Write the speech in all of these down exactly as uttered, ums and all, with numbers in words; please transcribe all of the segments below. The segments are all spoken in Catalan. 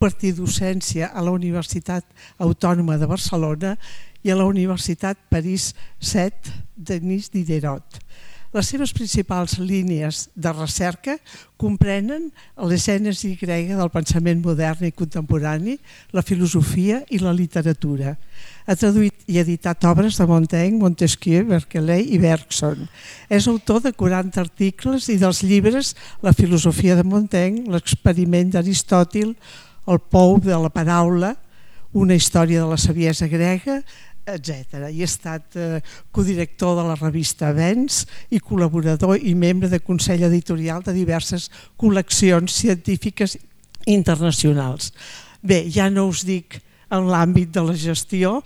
impartir docència a la Universitat Autònoma de Barcelona i a la Universitat París set Denis Diderot. Les seves principals línies de recerca comprenen la gènesi grega del pensament modern i contemporani, la filosofia i la literatura. Ha traduït i editat obres de Montaigne, Montesquieu, Berkeley i Bergson. És autor de quaranta articles i dels llibres La filosofia de Montaigne, L'experiment d'Aristòtil, El pou de la paraula, Una història de la saviesa grega, etcètera. I ha estat eh, codirector de la revista Avenç i col·laborador i membre de Consell Editorial de diverses col·leccions científiques internacionals. Bé, ja no us dic en l'àmbit de la gestió,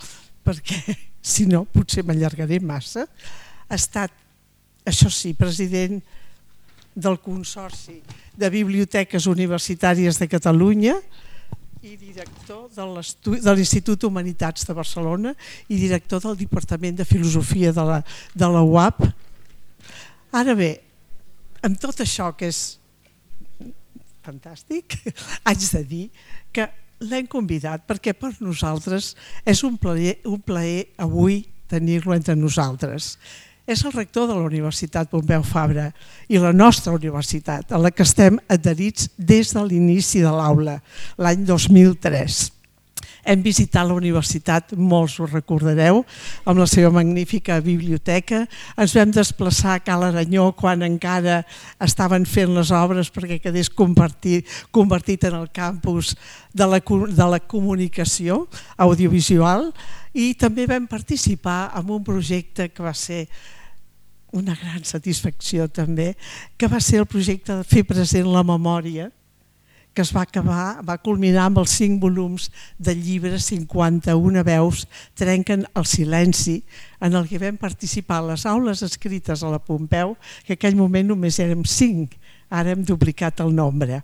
perquè si no potser m'allargaré massa. Ha estat, això sí, president del Consorci de Biblioteques Universitàries de Catalunya i director de l'Institut Humanitats de Barcelona i director del Departament de Filosofia de la, de la U A P. Ara bé, amb tot això que és fantàstic, haig de dir que l'hem convidat perquè per nosaltres és un plaer, un plaer avui tenir-lo entre nosaltres. És el rector de la Universitat Pompeu Fabra i la nostra universitat, a la que estem adherits des de l'inici de l'aula, l'any dos mil tres. Hem visitat la universitat, molts ho recordareu, amb la seva magnífica biblioteca. Ens vam desplaçar a Cal Aranyó quan encara estaven fent les obres perquè quedés convertit, convertit en el campus de la, de la comunicació audiovisual, i també vam participar en un projecte que va ser una gran satisfacció també, que va ser el projecte de fer present la memòria, que es va acabar, va culminar amb els cinc volums del llibre cinquanta-una veus trenquen el silenci, en el que vam participar a les aules escrites a la Pompeu, que en aquell moment només érem cinc, ara hem duplicat el nombre.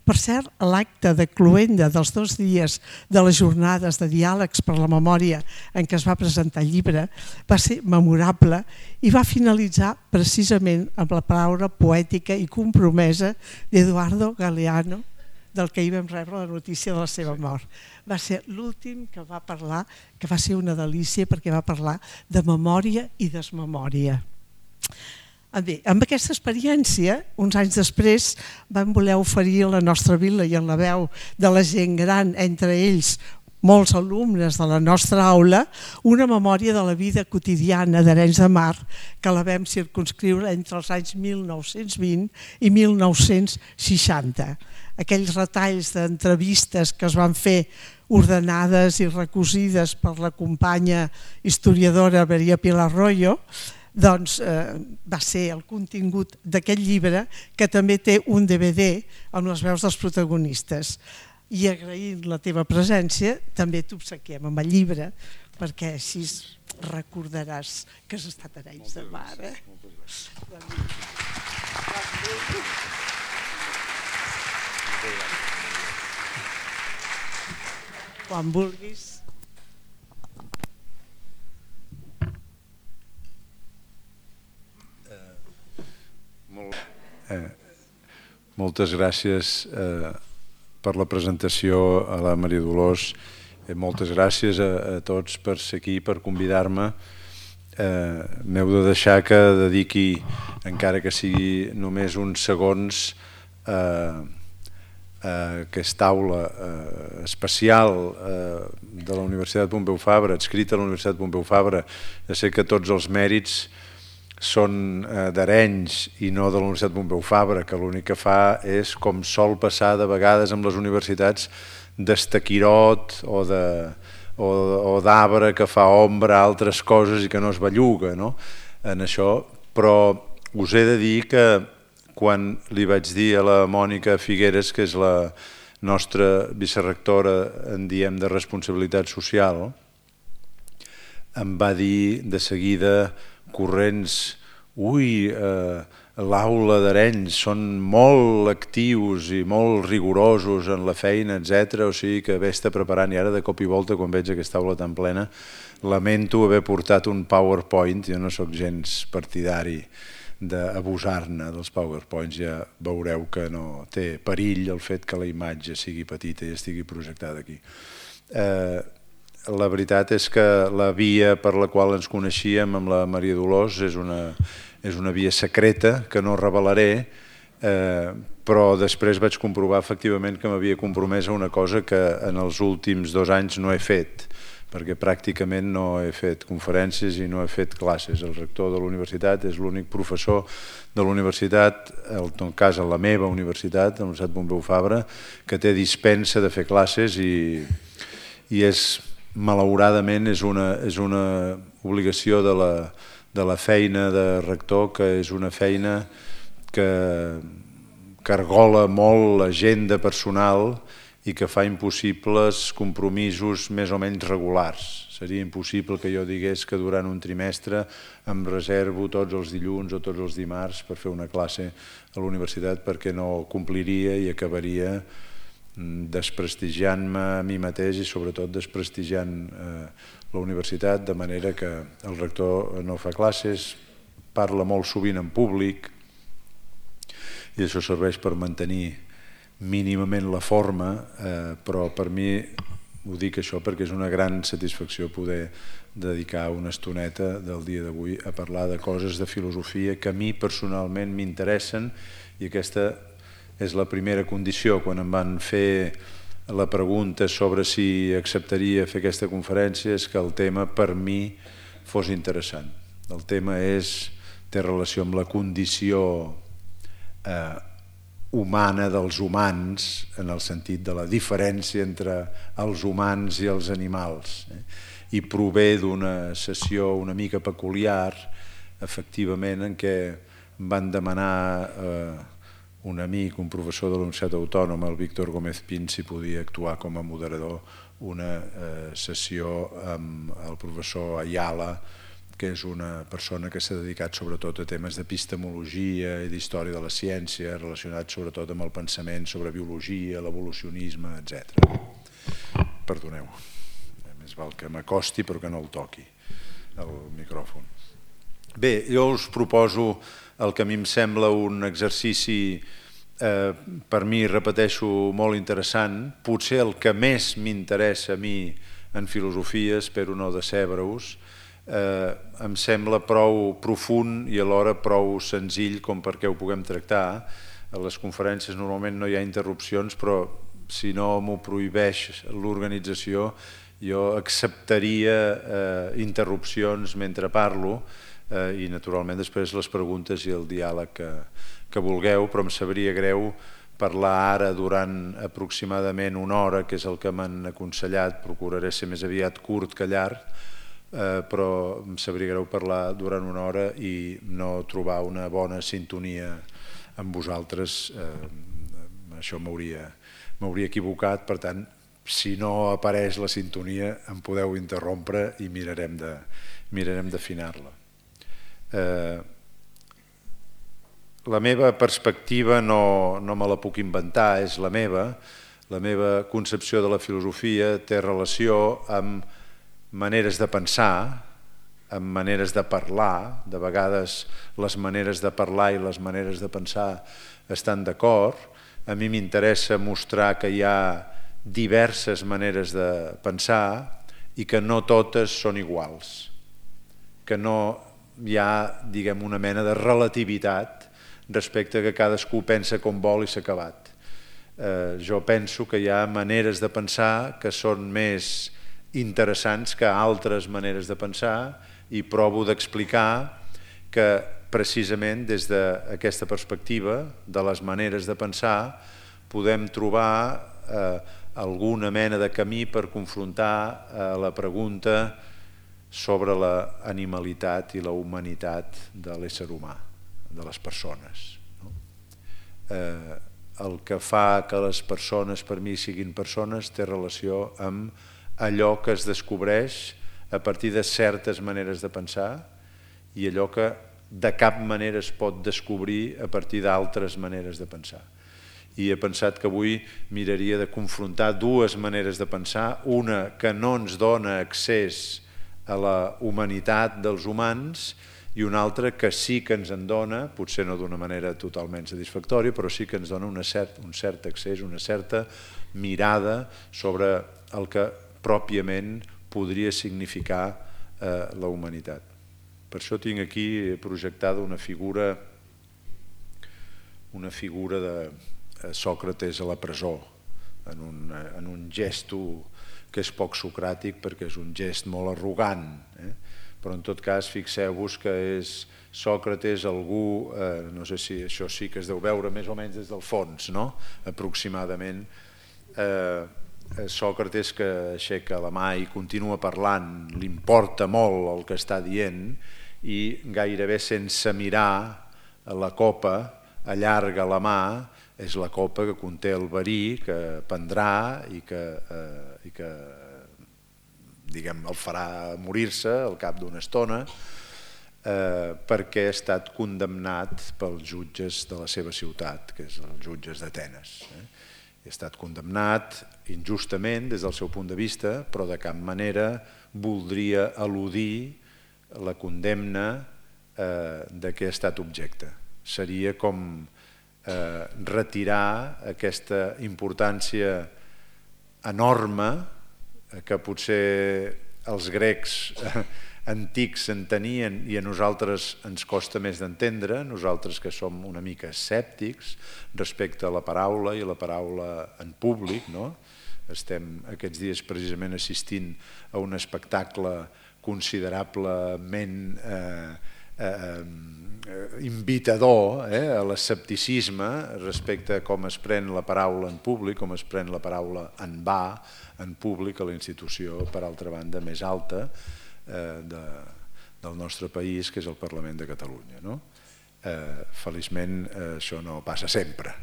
Per cert, l'acte de cloenda dels dos dies de les jornades de diàlegs per la memòria en què es va presentar el llibre va ser memorable i va finalitzar precisament amb la paraula poètica i compromesa d'Eduardo Galeano, del que hi vam rebre la notícia de la seva mort. Va ser l'últim que va parlar, que va ser una delícia perquè va parlar de memòria i desmemòria. Bé, amb aquesta experiència, uns anys després, vam voler oferir a la nostra vila i en la veu de la gent gran, entre ells molts alumnes de la nostra aula, una memòria de la vida quotidiana d'Arenys de Mar que la vam circumscriure entre els anys mil nou-cents vint i mil nou-cents seixanta. Aquells retalls d'entrevistes que es van fer ordenades i recosides per la companya historiadora Maria Pilar Royo, doncs va ser el contingut d'aquest llibre, que també té un D V D amb les veus dels protagonistes. I agraint la teva presència, també t'obsequiem amb el llibre, perquè així recordaràs que has estat a Arenys de Mar. Quan vulguis. Eh, moltes gràcies eh, per la presentació a la Maria Dolors, eh, moltes gràcies a, a tots per ser aquí, per convidar-me. Eh, m'heu de deixar que dediqui, encara que sigui només uns segons, eh, a aquesta aula eh, especial eh, de la Universitat Pompeu Fabra, adscrita a la Universitat Pompeu Fabra. Ja sé que tots els mèrits són d'Arenys i no de la Universitat Pompeu Fabra, que l'únic que fa és, com sol passar de vegades amb les universitats, d'estaquirot o d'arbre que fa ombra a altres coses i que no es belluga en això. Però us he de dir que quan li vaig dir a la Mònica Figueres, que és la nostra vicerectora en diem de responsabilitat social, em va dir de seguida corrents, ui, l'aula d'Arenys són molt actius i molt rigorosos en la feina, etcètera, o sigui que vés-te preparant. I ara de cop i volta, quan veig aquesta aula tan plena, lamento haver portat un PowerPoint, jo no sóc gens partidari d'abusar-ne dels PowerPoints, ja veureu que no té perill el fet que la imatge sigui petita i estigui projectada aquí. La veritat és que la via per la qual ens coneixíem amb la Maria Dolors és una, és una via secreta que no revelaré, eh, però després vaig comprovar efectivament que m'havia compromès a una cosa que en els últims dos anys no he fet, perquè pràcticament no he fet conferències i no he fet classes. El rector de la universitat és l'únic professor de la universitat, en tot cas a la meva universitat, a la Universitat Pompeu Fabra, que té dispensa de fer classes i, i és, malauradament, és una, és una obligació de la, de la feina de rector, que és una feina que cargola molt l'agenda personal i que fa impossibles compromisos més o menys regulars. Seria impossible que jo digués que durant un trimestre em reservo tots els dilluns o tots els dimarts per fer una classe a la universitat, perquè no compliria i acabaria desprestigiant-me a mi mateix i sobretot desprestigiant la universitat, de manera que el rector no fa classes, parla molt sovint en públic i això serveix per mantenir mínimament la forma, eh, però per mi ho dic això perquè és una gran satisfacció poder dedicar una estoneta del dia d'avui a parlar de coses de filosofia que a mi personalment m'interessen, i aquesta és la primera condició. Quan em van fer la pregunta sobre si acceptaria fer aquesta conferència és que el tema per mi fos interessant. El tema és, té relació amb la condició eh, humana dels humans, en el sentit de la diferència entre els humans i els animals, eh? I prové d'una sessió una mica peculiar, efectivament, en què van demanar eh, un amic, un professor de la Universitat Autònoma, el Víctor Gómez Pin, si podia actuar com a moderador una eh, sessió amb el professor Ayala, que és una persona que s'ha dedicat sobretot a temes d'epistemologia i d'història de la ciència, relacionats sobretot amb el pensament sobre biologia, l'evolucionisme, etcètera. Perdoneu, més val que m'acosti però que no el toqui, el micròfon. Bé, jo us proposo el que a mi em sembla un exercici, eh, per mi, repeteixo, molt interessant, potser el que més m'interessa a mi en filosofia, espero no decebre-us, Eh, em sembla prou profund i alhora prou senzill com perquè ho puguem tractar. A les conferències normalment no hi ha interrupcions, però si no m'ho prohibeix l'organització, jo acceptaria eh, interrupcions mentre parlo eh, i naturalment després les preguntes i el diàleg que, que vulgueu, però em sabria greu parlar ara durant aproximadament una hora, que és el que m'han aconsellat. Procuraré ser més aviat curt que llarg, Eh, però em sabria greu parlar durant una hora i no trobar una bona sintonia amb vosaltres. Eh, això m'hauria m'hauria equivocat, per tant, si no apareix la sintonia em podeu interrompre i mirarem de mirarem d'afinar-la. Eh, la meva perspectiva no, no me la puc inventar, és la meva. La meva concepció de la filosofia té relació amb maneres de pensar, amb maneres de parlar. De vegades les maneres de parlar i les maneres de pensar estan d'acord. A mi m'interessa mostrar que hi ha diverses maneres de pensar i que no totes són iguals, que no hi ha, diguem, una mena de relativitat respecte a que cadascú pensa com vol i s'ha acabat. Eh, jo penso que hi ha maneres de pensar que són més interessants que altres maneres de pensar i provo d'explicar que precisament des d'aquesta perspectiva de les maneres de pensar podem trobar eh, alguna mena de camí per confrontar eh, la pregunta sobre la animalitat i la humanitat de l'ésser humà, de les persones. No? Eh, el que fa que les persones per mi siguin persones té relació amb allò que es descobreix a partir de certes maneres de pensar i allò que de cap manera es pot descobrir a partir d'altres maneres de pensar. I he pensat que avui miraria de confrontar dues maneres de pensar, una que no ens dona accés a la humanitat dels humans i una altra que sí que ens en dona, potser no d'una manera totalment satisfactòria, però sí que ens dona una cert, un cert accés, una certa mirada sobre el que pròpiament podria significar eh, la humanitat. Per això tinc aquí projectada una figura una figura de Sòcrates a la presó, en un, en un gesto que és poc socràtic perquè és un gest molt arrogant, eh? Però en tot cas fixeu-vos que és Sòcrates algú, eh, no sé si això sí que es deu veure més o menys des del fons, no? Aproximadament, eh, Sòcrates que aixeca la mà i continua parlant, li importa molt el que està dient i gairebé sense mirar la copa allarga la mà, és la copa que conté el verí que prendrà i que, eh, i que diguem, el farà morir-se al cap d'una estona eh, perquè ha estat condemnat pels jutges de la seva ciutat, que és els jutges d'Atenes. Eh? Ha estat condemnat injustament des del seu punt de vista, però de cap manera voldria eludir la condemna eh, de què ha estat objecte. Seria com eh, retirar aquesta importància enorme que potser els grecs eh, antics en tenien i a nosaltres ens costa més d'entendre, nosaltres que som una mica escèptics respecte a la paraula i a la paraula en públic, no? Estem aquests dies precisament assistint a un espectacle considerablement eh, eh, invitador eh, a l'escepticisme respecte a com es pren la paraula en públic, com es pren la paraula en va en públic a la institució, per altra banda, més alta eh, de, del nostre país, que és el Parlament de Catalunya. No? Eh, feliçment eh, això no passa sempre.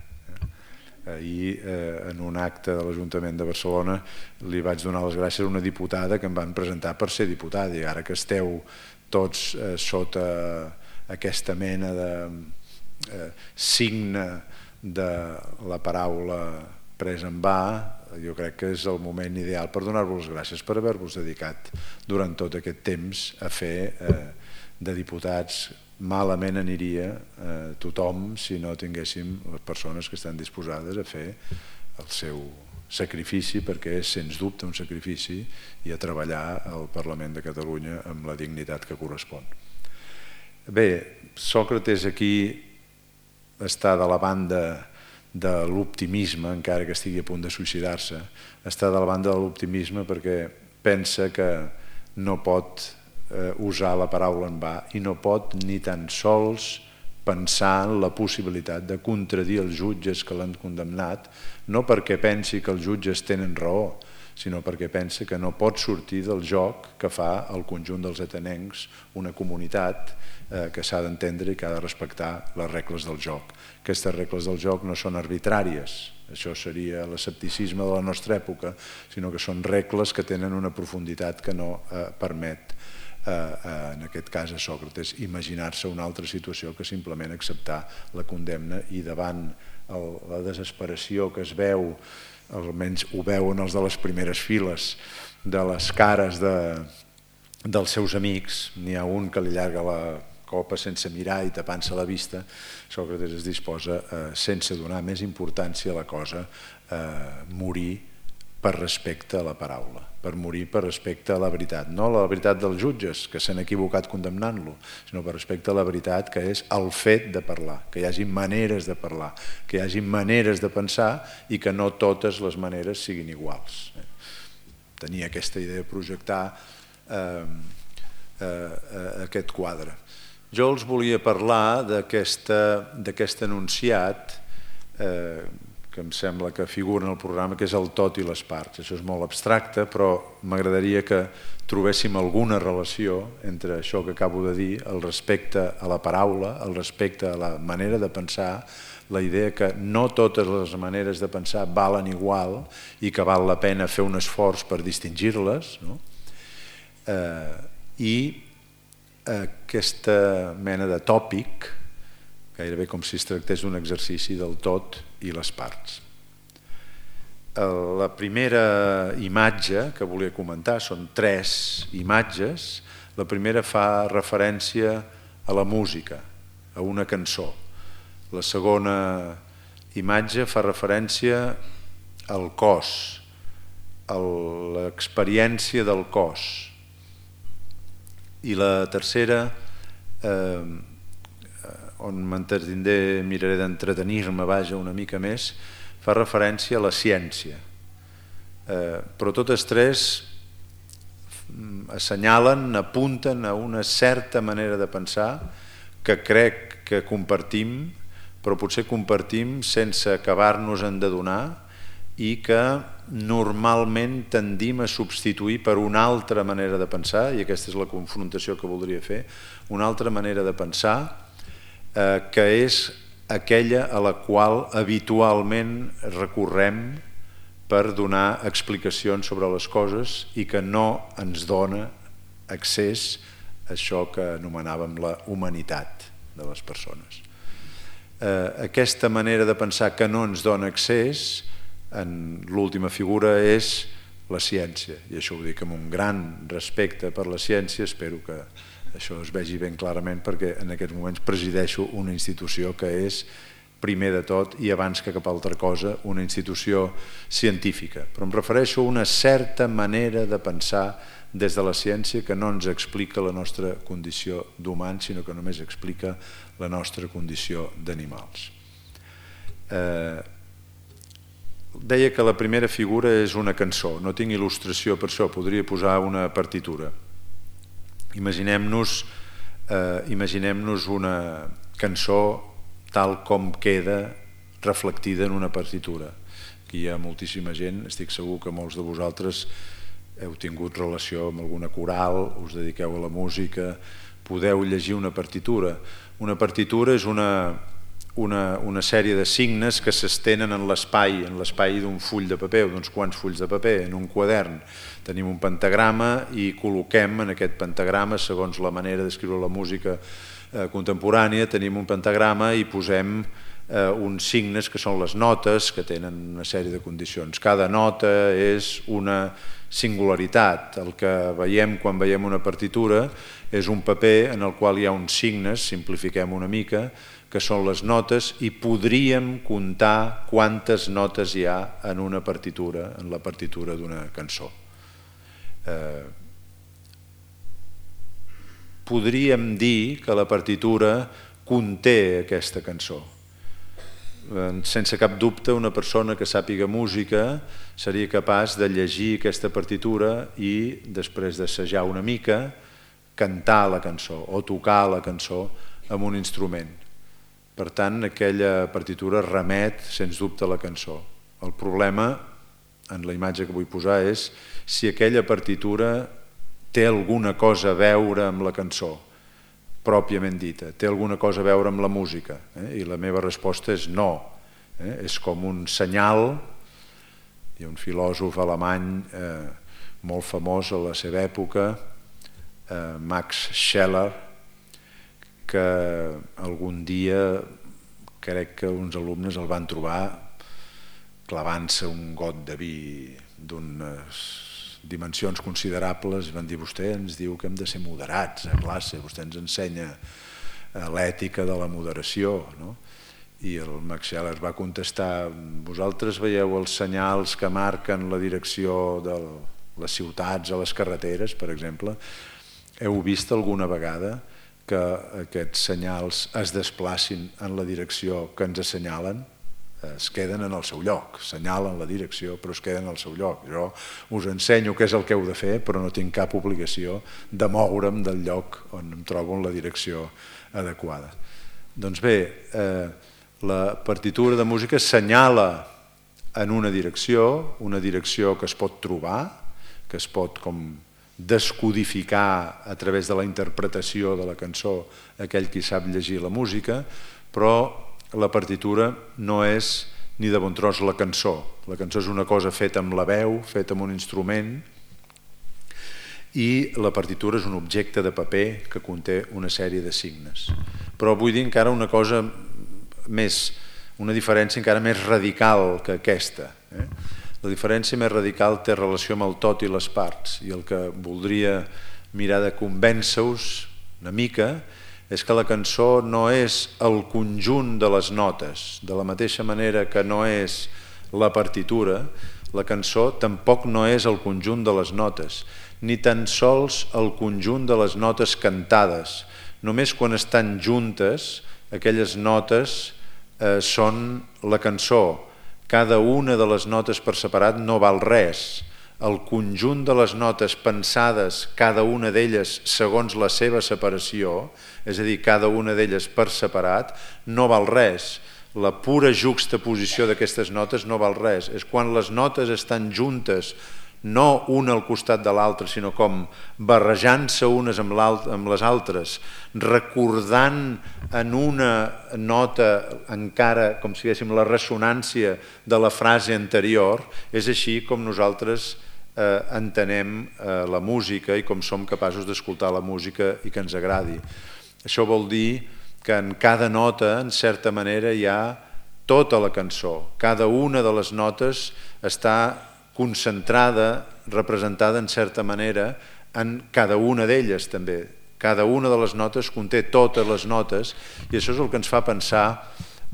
Ahir, eh, en un acte de l'Ajuntament de Barcelona, li vaig donar les gràcies a una diputada que em van presentar per ser diputada, i ara que esteu tots eh, sota aquesta mena de eh, signe de la paraula presa en va, jo crec que és el moment ideal per donar-vos les gràcies per haver-vos dedicat durant tot aquest temps a fer eh, de diputats. Malament aniria eh, tothom si no tinguéssim les persones que estan disposades a fer el seu sacrifici, perquè és sens dubte un sacrifici, i a treballar al Parlament de Catalunya amb la dignitat que correspon. Bé, Sòcrates aquí està de la banda de l'optimisme, encara que estigui a punt de suïcidar-se, està de la banda de l'optimisme perquè pensa que no pot usar la paraula en va i no pot ni tan sols pensar en la possibilitat de contradir els jutges que l'han condemnat, no perquè pensi que els jutges tenen raó, sinó perquè pensa que no pot sortir del joc que fa el conjunt dels atenencs, una comunitat eh, que s'ha d'entendre i que ha de respectar les regles del joc. Aquestes regles del joc no són arbitràries, això seria l'escepticisme de la nostra època, sinó que són regles que tenen una profunditat que no eh, permet en aquest cas a Sòcrates imaginar-se una altra situació que simplement acceptar la condemna, i davant la desesperació que es veu, almenys ho veuen els de les primeres files, de les cares de, dels seus amics, n'hi ha un que li allarga la copa sense mirar i tapant-se la vista, Sòcrates es disposa, eh, sense donar més importància a la cosa, a eh, morir per respecte a la paraula, per morir per respecte a la veritat. No la veritat dels jutges, que s'han equivocat condemnant-lo, sinó per respecte a la veritat, que és el fet de parlar, que hi hagi maneres de parlar, que hi hagi maneres de pensar i que no totes les maneres siguin iguals. Tenia aquesta idea de projectar eh, eh, aquest quadre. Jo els volia parlar d'aquest enunciat eh, que em sembla que figura en el programa, que és el tot i les parts. Això és molt abstracte, però m'agradaria que trobéssim alguna relació entre això que acabo de dir, el respecte a la paraula, el respecte a la manera de pensar, la idea que no totes les maneres de pensar valen igual i que val la pena fer un esforç per distingir-les, no? eh, i aquesta mena de tòpic, gairebé com si es tractés d'un exercici del tot i les parts. La primera imatge que volia comentar són tres imatges. La primera fa referència a la música, a una cançó. La segona imatge fa referència al cos, a l'experiència del cos. I la tercera, eh, on m'entretindré, miraré d'entretenir-me, vaja, una mica més, fa referència a la ciència. Eh, però totes tres assenyalen, apunten a una certa manera de pensar que crec que compartim, però potser compartim sense acabar-nos-en d'adonar i que normalment tendim a substituir per una altra manera de pensar, i aquesta és la confrontació que voldria fer, una altra manera de pensar eh, que és aquella a la qual habitualment recorrem per donar explicacions sobre les coses i que no ens dona accés a això que anomenàvem la humanitat de les persones. Eh, aquesta manera de pensar que no ens dona accés, en l'última figura, és la ciència, i això ho dic amb un gran respecte per la ciència. Espero que això es vegi ben clarament, perquè en aquests moments presideixo una institució que és, primer de tot i abans que cap altra cosa, una institució científica. Però em refereixo a una certa manera de pensar des de la ciència que no ens explica la nostra condició d'humans, sinó que només explica la nostra condició d'animals. Eh, deia que la primera figura és una cançó. No tinc il·lustració per això, podria posar una partitura. Imaginem-nos eh, imaginem-nos una cançó tal com queda reflectida en una partitura. Aquí hi ha moltíssima gent, estic segur que molts de vosaltres heu tingut relació amb alguna coral, us dediqueu a la música, podeu llegir una partitura. Una partitura és una, una, una sèrie de signes que s'estenen en l'espai, en l'espai d'un full de paper, o d'uns quants fulls de paper, en un quadern. Tenim un pentagrama i col·loquem en aquest pentagrama, segons la manera d'escriure la música contemporània, tenim un pentagrama i posem eh, uns signes que són les notes, que tenen una sèrie de condicions. Cada nota és una singularitat. El que veiem quan veiem una partitura és un paper en el qual hi ha uns signes, simplifiquem una mica, que són les notes, i podríem comptar quantes notes hi ha en una partitura, en la partitura d'una cançó. Eh, podríem dir que la partitura conté aquesta cançó. Sense cap dubte, una persona que sàpiga música seria capaç de llegir aquesta partitura i, després d'assajar una mica, cantar la cançó o tocar la cançó amb un instrument. Per tant, aquella partitura remet, sens dubte, a la cançó. El problema, en la imatge que vull posar, és si aquella partitura té alguna cosa a veure amb la cançó, pròpiament dita, té alguna cosa a veure amb la música, eh? I la meva resposta és no. Eh? És com un senyal. Hi ha un filòsof alemany eh, molt famós a la seva època, eh, Max Scheler, que algun dia crec que uns alumnes el van trobar clavant-se un got de vi d'unes dimensions considerables, i van dir: vostè ens diu que hem de ser moderats a classe, vostè ens ensenya l'ètica de la moderació, no? I el Max Scheler va contestar: vosaltres veieu els senyals que marquen la direcció de les ciutats a les carreteres, per exemple? Heu vist alguna vegada que aquests senyals es desplacin en la direcció que ens assenyalen? Es queden en el seu lloc, assenyalen la direcció però es queden en el seu lloc. Jo us ensenyo què és el que heu de fer, però no tinc cap obligació de moure'm del lloc on em trobo en la direcció adequada. Doncs bé, eh, la partitura de música assenyala en una direcció, una direcció que es pot trobar, que es pot com descodificar a través de la interpretació de la cançó aquell qui sap llegir la música, però la partitura no és ni de bon tros la cançó. La cançó és una cosa feta amb la veu, feta amb un instrument, i la partitura és un objecte de paper que conté una sèrie de signes. Però vull dir encara una cosa més, una diferència encara més radical que aquesta. Eh? La diferència més radical té relació amb el tot i les parts, i el que voldria mirar de convèncer-vos una mica és que la cançó no és el conjunt de les notes, de la mateixa manera que no és la partitura, la cançó tampoc no és el conjunt de les notes, ni tan sols el conjunt de les notes cantades. Només quan estan juntes, aquelles notes eh, són la cançó. Cada una de les notes per separat no val res. El conjunt de les notes pensades, cada una d'elles segons la seva separació, és a dir, cada una d'elles per separat, no val res. La pura juxtaposició d'aquestes notes no val res. És quan les notes estan juntes, no una al costat de l'altra, sinó com barrejant-se unes amb, amb les altres, recordant en una nota encara, com si diguéssim, la ressonància de la frase anterior, és així com nosaltres eh, entenem eh, la música i com som capaços d'escoltar la música i que ens agradi. Això vol dir que en cada nota, en certa manera, hi ha tota la cançó. Cada una de les notes està concentrada, representada en certa manera en cada una d'elles també. Cada una de les notes conté totes les notes i això és el que ens fa pensar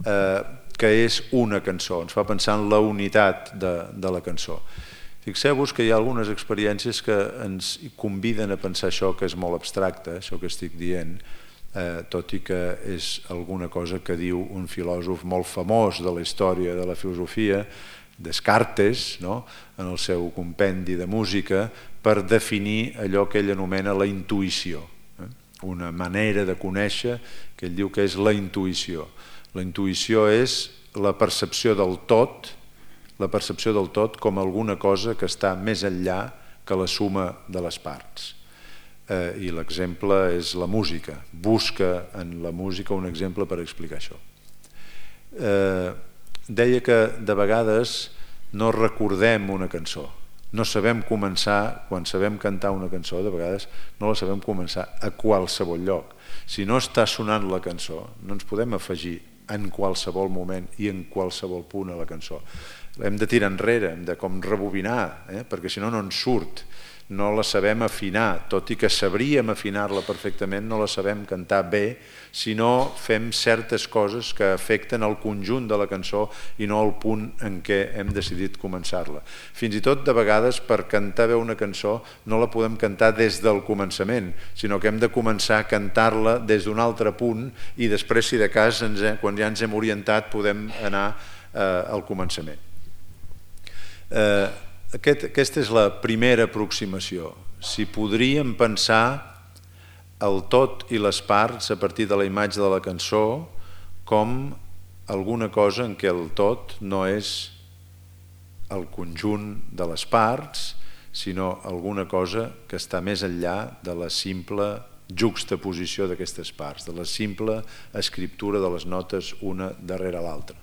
eh, que és una cançó, ens fa pensar en la unitat de, de la cançó. Fixeu-vos que hi ha algunes experiències que ens conviden a pensar això que és molt abstracte, això que estic dient, eh, tot i que és alguna cosa que diu un filòsof molt famós de la història de la filosofia, Descartes, no? En el seu compendi de música, per definir allò que ell anomena la intuïció. Eh? Una manera de conèixer que ell diu que és la intuïció. La intuïció és la percepció del tot, la percepció del tot com alguna cosa que està més enllà que la suma de les parts. Eh, I l'exemple és la música. Busca en la música un exemple per explicar això. Eh, Deia que de vegades no recordem una cançó, no sabem començar, quan sabem cantar una cançó, de vegades no la sabem començar a qualsevol lloc. Si no està sonant la cançó, no ens podem afegir en qualsevol moment i en qualsevol punt a la cançó. Hem de tirar enrere, hem de com rebobinar, eh? Perquè si no, no ens surt. No la sabem afinar, tot i que sabríem afinar-la perfectament, no la sabem cantar bé si no fem certes coses que afecten el conjunt de la cançó i no el punt en què hem decidit començar-la. Fins i tot, de vegades, per cantar bé una cançó no la podem cantar des del començament, sinó que hem de començar a cantar-la des d'un altre punt i després, si de cas, ens hem, quan ja ens hem orientat, podem anar eh, al començament. Eh, Aquest, aquesta és la primera aproximació. Si podríem pensar el tot i les parts a partir de la imatge de la cançó com alguna cosa en què el tot no és el conjunt de les parts, sinó alguna cosa que està més enllà de la simple juxtaposició d'aquestes parts, de la simple escriptura de les notes una darrere l'altra.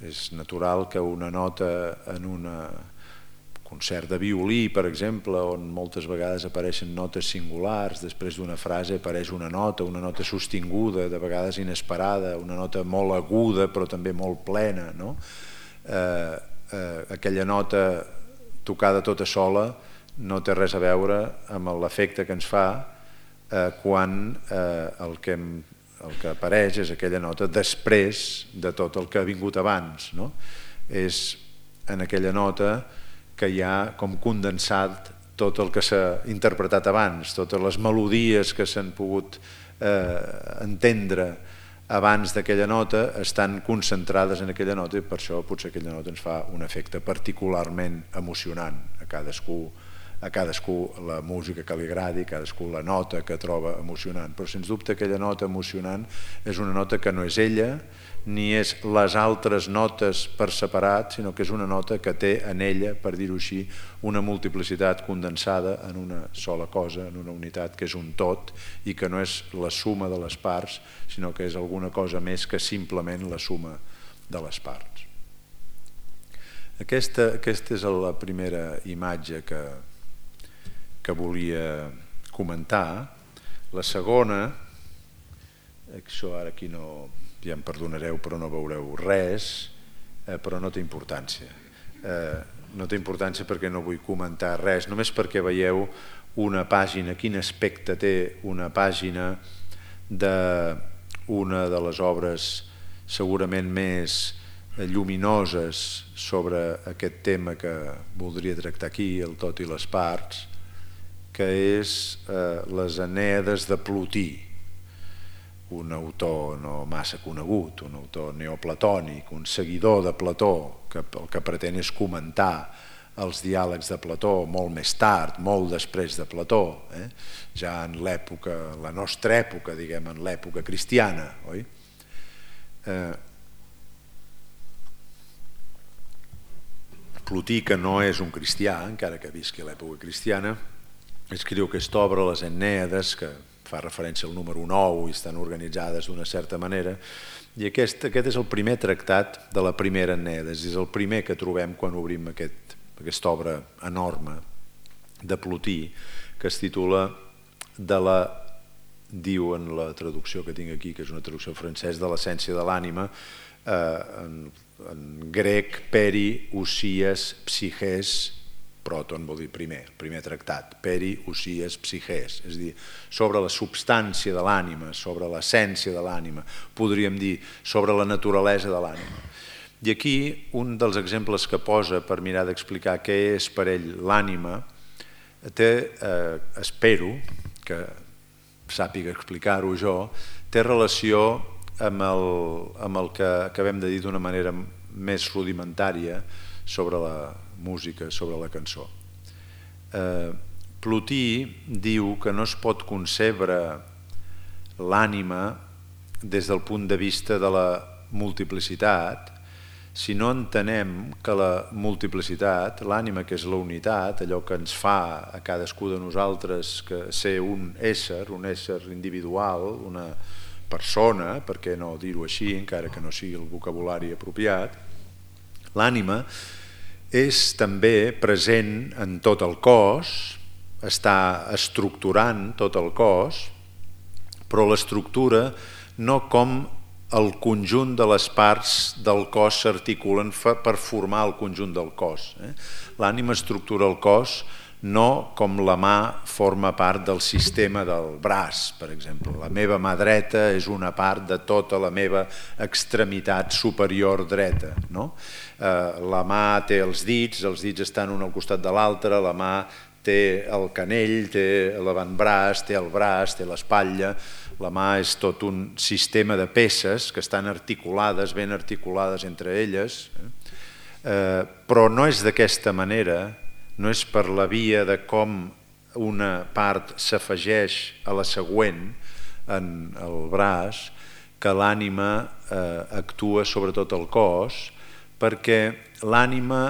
És natural que una nota en un concert de violí, per exemple, on moltes vegades apareixen notes singulars, després d'una frase apareix una nota, una nota sostinguda, de vegades inesperada, una nota molt aguda però també molt plena, no? Eh, eh, aquella nota tocada tota sola no té res a veure amb l'efecte que ens fa eh, quan eh, el que hem el que apareix és aquella nota després de tot el que ha vingut abans, no? És en aquella nota que hi ha com condensat tot el que s'ha interpretat abans, totes les melodies que s'han pogut eh, entendre abans d'aquella nota estan concentrades en aquella nota i per això potser aquella nota ens fa un efecte particularment emocionant a cadascú, a cadascú la música que li agradi, cadascú la nota que troba emocionant. Però sens dubte aquella nota emocionant és una nota que no és ella, ni és les altres notes per separat, sinó que és una nota que té en ella, per dir-ho així, una multiplicitat condensada en una sola cosa, en una unitat que és un tot i que no és la suma de les parts, sinó que és alguna cosa més que simplement la suma de les parts. Aquesta, aquesta és la primera imatge que que volia comentar. La segona, això ara aquí no, ja em perdonareu però no veureu res, eh, però no té importància. Eh, no té importància perquè no vull comentar res, només perquè veieu una pàgina, quin aspecte té una pàgina d'una de les obres segurament més lluminoses sobre aquest tema que voldria tractar aquí, el tot i les parts, que és eh, les Enèades de Plotí, un autor no massa conegut, un autor neoplatònic, un seguidor de Plató, que el que pretén és comentar els diàlegs de Plató molt més tard, molt després de Plató, eh? ja en l'època, la nostra època, diguem, en l'època cristiana, oi? Eh, Plotí, que no és un cristià, encara que visqui a l'època cristiana, escriu aquesta obra, les Enèades, que fa referència al número nou i estan organitzades d'una certa manera, i aquest, aquest és el primer tractat de la primera Enèades, és el primer que trobem quan obrim aquest, aquesta obra enorme de Plotí, que es titula de la, diu en la traducció que tinc aquí, que és una traducció francès, de l'essència de l'ànima, eh, en, en grec, peri, usies, psiches, proton vol dir primer, el primer tractat, peri, usies, psiches, és a dir, sobre la substància de l'ànima, sobre l'essència de l'ànima, podríem dir, sobre la naturalesa de l'ànima. I aquí un dels exemples que posa per mirar d'explicar què és per ell l'ànima, té, eh, espero que sàpiga explicar-ho jo, té relació amb el, amb el que acabem de dir d'una manera més rudimentària sobre la música, sobre la cançó. Eh, Plotí diu que no es pot concebre l'ànima des del punt de vista de la multiplicitat si no entenem que la multiplicitat, l'ànima, que és la unitat, allò que ens fa a cadascú de nosaltres que ser un ésser, un ésser individual, una persona, per què no dir-ho així, encara que no sigui el vocabulari apropiat, l'ànima és també present en tot el cos, està estructurant tot el cos, però l'estructura no com el conjunt de les parts del cos s'articulen per formar el conjunt del cos. L'ànima estructura el cos no com la mà forma part del sistema del braç, per exemple. La meva mà dreta és una part de tota la meva extremitat superior dreta. No? La mà té els dits, els dits estan un al costat de l'altre, la mà té el canell, té l'avantbraç, té el braç, té l'espatlla. La mà és tot un sistema de peces que estan articulades, ben articulades entre elles, però no és d'aquesta manera, no és per la via de com una part s'afegeix a la següent en el braç que l'ànima actua sobre tot el cos, perquè l'ànima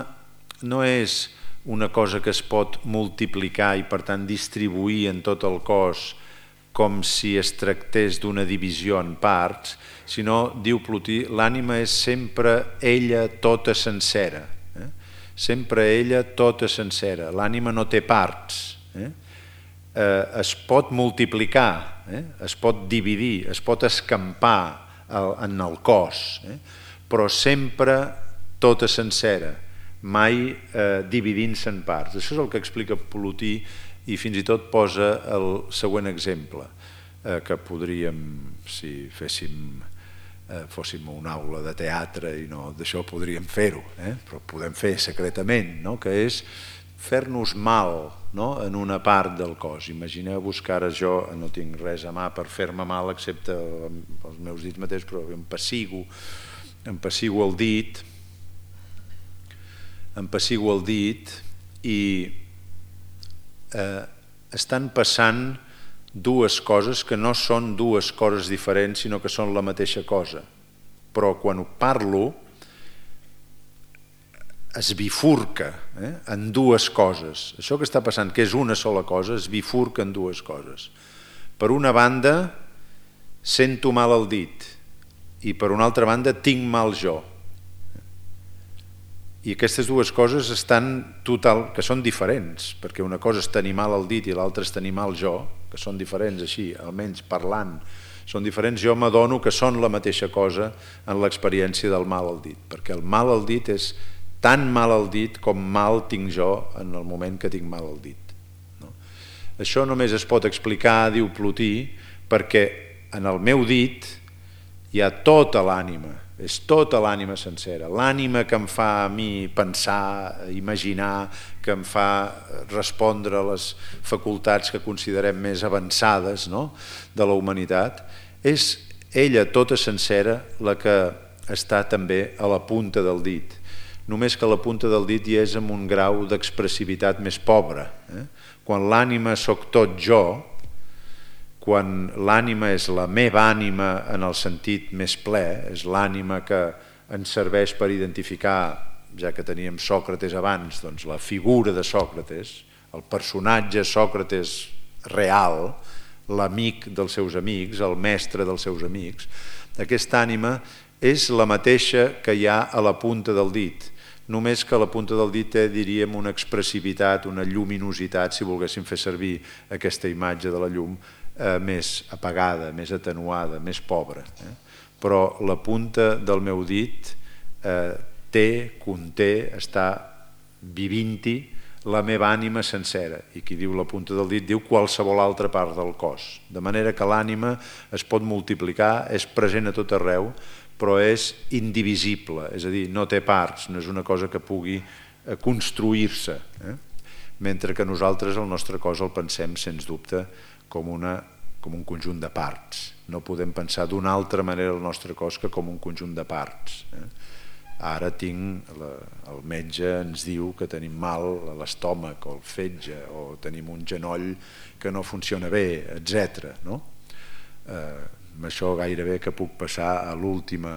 no és una cosa que es pot multiplicar i per tant distribuir en tot el cos com si es tractés d'una divisió en parts, sinó, diu Plotí, l'ànima és sempre ella tota sencera, eh? sempre ella tota sencera, l'ànima no té parts, eh? Eh, es pot multiplicar, eh? es pot dividir, es pot escampar en el cos, eh? però sempre tota sencera, mai eh, dividint-se en parts. Això és el que explica Plotí i fins i tot posa el següent exemple, eh, que podríem, si féssim, eh, fóssim una aula de teatre i no d'això podríem fer-ho, eh? però podem fer secretament, no? que és fer-nos mal, no? en una part del cos. Imagineu-vos que ara jo no tinc res a mà per fer-me mal excepte els meus dits mateixos, però em pessigo, em pessigo el dit, em pessigo el dit i Eh, estan passant dues coses que no són dues coses diferents, sinó que són la mateixa cosa. Però quan ho parlo es bifurca eh, en dues coses. Això que està passant, que és una sola cosa, es bifurca en dues coses. Per una banda, sento mal el dit i per una altra banda, tinc mal jo. I aquestes dues coses estan total, que són diferents, perquè una cosa és tenir mal el dit i l'altra és tenir mal jo, que són diferents així, almenys parlant, són diferents, jo m'adono que són la mateixa cosa en l'experiència del mal al dit, perquè el mal al dit és tan mal al dit com mal tinc jo en el moment que tinc mal al dit. No? Això només es pot explicar, diu Plotí, perquè en el meu dit hi ha tota l'ànima, és tota l'ànima sencera, l'ànima que em fa a mi pensar, imaginar, que em fa respondre a les facultats que considerem més avançades, no?, de la humanitat. És ella tota sencera la que està també a la punta del dit, només que la punta del dit hi és amb un grau d'expressivitat més pobre. Eh? Quan l'ànima soc tot jo, quan l'ànima és la meva ànima en el sentit més ple, és l'ànima que ens serveix per identificar, ja que teníem Sòcrates abans, doncs la figura de Sòcrates, el personatge Sòcrates real, l'amic dels seus amics, el mestre dels seus amics, aquesta ànima és la mateixa que hi ha a la punta del dit, només que a la punta del dit té, diríem, una expressivitat, una lluminositat, si volguéssim fer servir aquesta imatge de la llum, eh, més apagada, més atenuada, més pobra. Eh? Però la punta del meu dit eh, té, conté, està vivint-hi la meva ànima sencera, i qui diu la punta del dit diu qualsevol altra part del cos, de manera que l'ànima es pot multiplicar, és present a tot arreu, però és indivisible, és a dir, no té parts, no és una cosa que pugui construir-se, eh? Mentre que nosaltres el nostre cos el pensem, sens dubte, com, una, com un conjunt de parts. No podem pensar d'una altra manera el nostre cos que com un conjunt de parts. Eh? Ara tinc, la, el metge ens diu que tenim mal a l'estómac o el fetge, o tenim un genoll que no funciona bé, etcètera. No? Eh, amb això gairebé que puc passar a l'última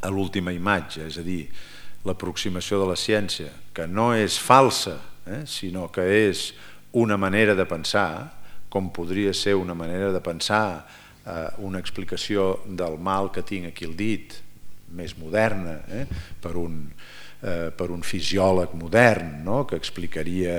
a l'última imatge, és a dir, l'aproximació de la ciència, que no és falsa, eh, sinó que és una manera de pensar, com podria ser una manera de pensar eh, una explicació del mal que tinc aquí al dit, més moderna, eh, per un Eh, per un fisiòleg modern, no?, que explicaria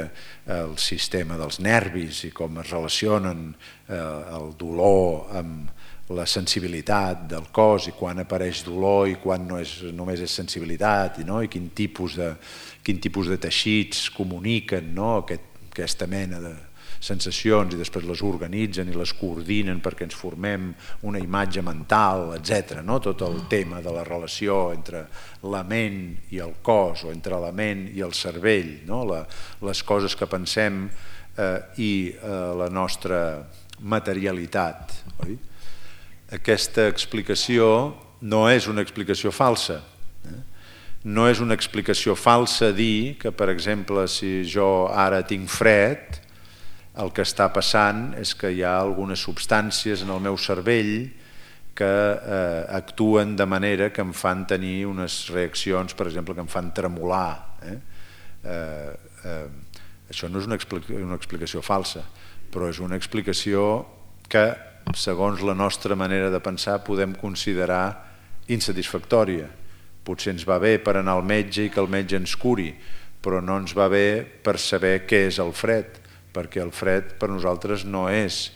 el sistema dels nervis i com es relacionen eh, el dolor amb la sensibilitat del cos i quan apareix dolor i quan no és, només és sensibilitat, i, no? I quin tipus de, quin tipus de teixits comuniquen, no?, Aquest, aquesta mena de sensacions i després les organitzen i les coordinen perquè ens formem una imatge mental, etcètera. No? Tot el tema de la relació entre la ment i el cos o entre la ment i el cervell, no? la, les coses que pensem eh, i eh, la nostra materialitat. Oi? Aquesta explicació no és una explicació falsa. Eh? No és una explicació falsa dir que, per exemple, si jo ara tinc fred, el que està passant és que hi ha algunes substàncies en el meu cervell que eh, actuen de manera que em fan tenir unes reaccions, per exemple, que em fan tremolar. Eh? Eh, eh, això no és una, explica una explicació falsa, però és una explicació que, segons la nostra manera de pensar, podem considerar insatisfactòria. Potser ens va bé per anar al metge i que el metge ens curi, però no ens va bé per saber què és el fred, perquè el fred per nosaltres no és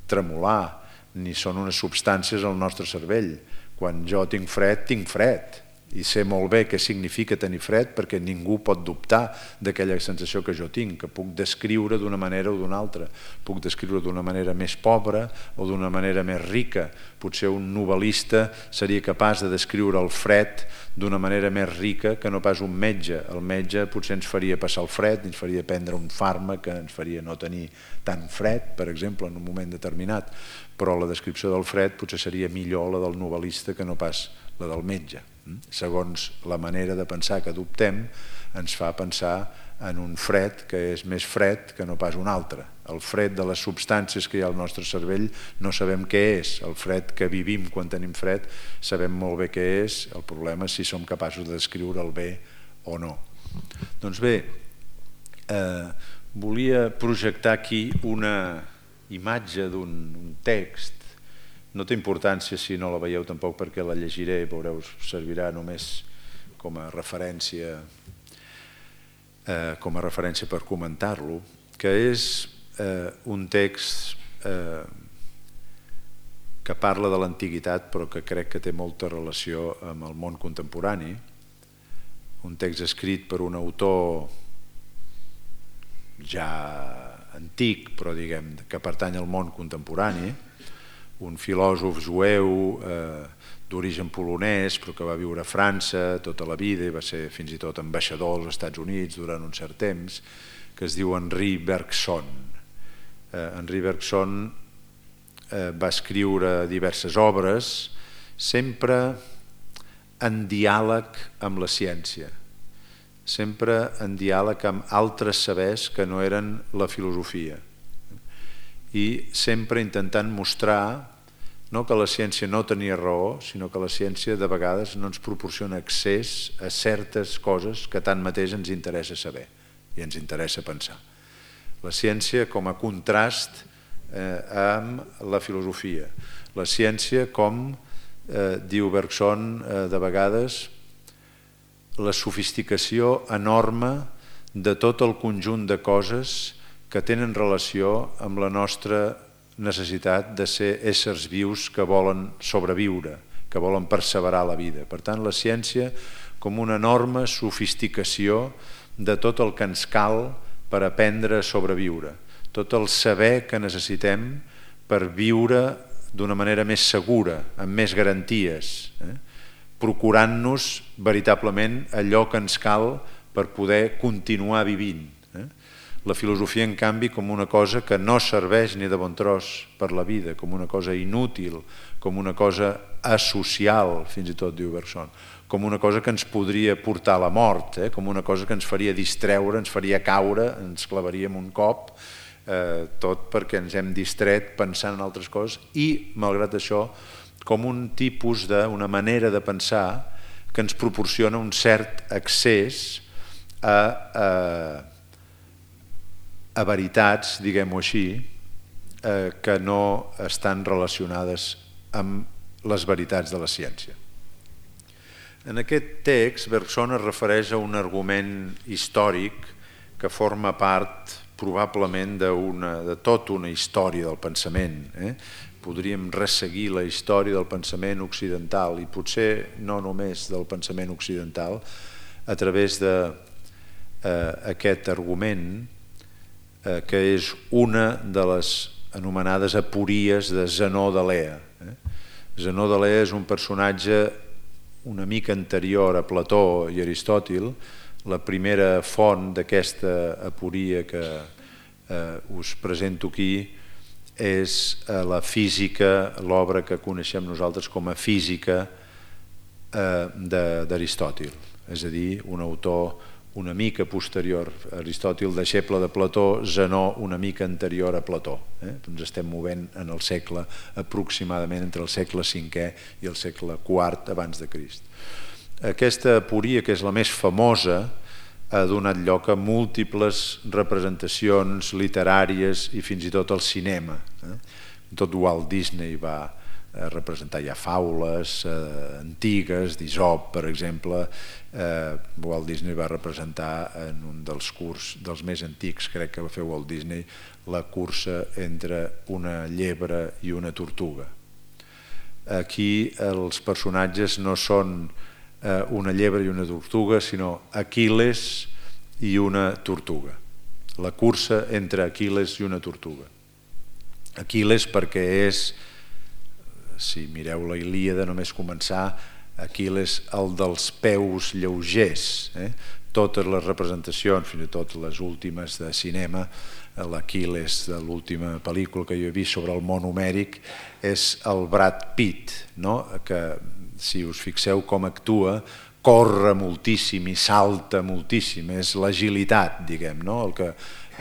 tremolar, ni són unes substàncies al nostre cervell. Quan jo tinc fred, tinc fred, i sé molt bé què significa tenir fred perquè ningú pot dubtar d'aquella sensació que jo tinc, que puc descriure d'una manera o d'una altra. Puc descriure d'una manera més pobra o d'una manera més rica. Potser un novel·lista seria capaç de descriure el fred d'una manera més rica que no pas un metge. El metge potser ens faria passar el fred, ens faria prendre un fàrmac que ens faria no tenir tant fred, per exemple, en un moment determinat, però la descripció del fred potser seria millor la del novel·lista que no pas la del metge. Segons la manera de pensar que adoptem, ens fa pensar en un fred que és més fred que no pas un altre. El fred de les substàncies que hi ha al nostre cervell no sabem què és. El fred que vivim quan tenim fred sabem molt bé què és. El problema és si som capaços de descriure'l bé o no. Doncs bé, eh, volia projectar aquí una imatge d'un text. No té importància si no la veieu tampoc perquè la llegiré, veureu, servirà només com a referència, eh, com a referència per comentar-lo, que és eh, un text eh, que parla de l'antiguitat però que crec que té molta relació amb el món contemporani, un text escrit per un autor ja antic però diguem que pertany al món contemporani, un filòsof jueu eh, d'origen polonès, però que va viure a França tota la vida i va ser fins i tot ambaixador als Estats Units durant un cert temps, que es diu Henri Bergson. Eh, Henri Bergson eh, va escriure diverses obres, sempre en diàleg amb la ciència, sempre en diàleg amb altres sabers que no eren la filosofia, i sempre intentant mostrar no que la ciència no tenia raó, sinó que la ciència de vegades no ens proporciona accés a certes coses que tanmateix ens interessa saber i ens interessa pensar. La ciència com a contrast eh, amb la filosofia. La ciència com, eh, diu Bergson, eh, de vegades, la sofisticació enorme de tot el conjunt de coses que tenen relació amb la nostra necessitat de ser éssers vius que volen sobreviure, que volen perseverar la vida. Per tant, la ciència com una enorme sofisticació de tot el que ens cal per aprendre a sobreviure, tot el saber que necessitem per viure d'una manera més segura, amb més garanties, eh? procurant-nos veritablement allò que ens cal per poder continuar vivint. Eh? La filosofia, en canvi, com una cosa que no serveix ni de bon tros per la vida, com una cosa inútil, com una cosa asocial, fins i tot diu Bergson, com una cosa que ens podria portar a la mort, eh? com una cosa que ens faria distreure, ens faria caure, ens clavaríem un cop, eh, tot perquè ens hem distret pensant en altres coses i, malgrat això, com un tipus de, una manera de pensar que ens proporciona un cert accés a, a, a veritats, diguem-ho així, eh, que no estan relacionades amb les veritats de la ciència. En aquest text, Bergson es refereix a un argument històric que forma part probablement de, una, de tota una història del pensament. Eh? Podríem resseguir la història del pensament occidental i potser no només del pensament occidental a través d'aquest eh, argument eh, que és una de les anomenades apories de Zenó d'Elea. Eh? Zenó d'Elea és un personatge una mica anterior a Plató i Aristòtil. La primera font d'aquesta aporia que eh, us presento aquí és la física, l'obra que coneixem nosaltres com a física d'Aristòtil, és a dir, un autor una mica posterior a Aristòtil, deixeble de Plató, Zenó una mica anterior a Plató. Eh? Ens estem movent en el segle aproximadament entre el segle cinquè i el segle quart abans de Crist. Aquesta aporia, que és la més famosa, ha donat lloc a múltiples representacions literàries i fins i tot al cinema. Eh? Tot Walt Disney va representar ja faules eh, antigues, d'Isop, per exemple. Eh, Walt Disney va representar en un dels curts dels més antics, crec que va fer Walt Disney, la cursa entre una llebre i una tortuga. Aquí els personatges no són una llebre i una tortuga, sinó Aquil·les i una tortuga. La cursa entre Aquil·les i una tortuga. Aquil·les perquè és, si mireu la Ilíada només començar, Aquil·les el dels peus lleugers. Eh? Totes les representacions, fins i tot les últimes de cinema, l'Aquil·les de l'última pel·lícula que jo he vist sobre el món homèric, és el Brad Pitt, no? Que si us fixeu com actua, corre moltíssim i salta moltíssim, és l'agilitat, diguem, no? el, que,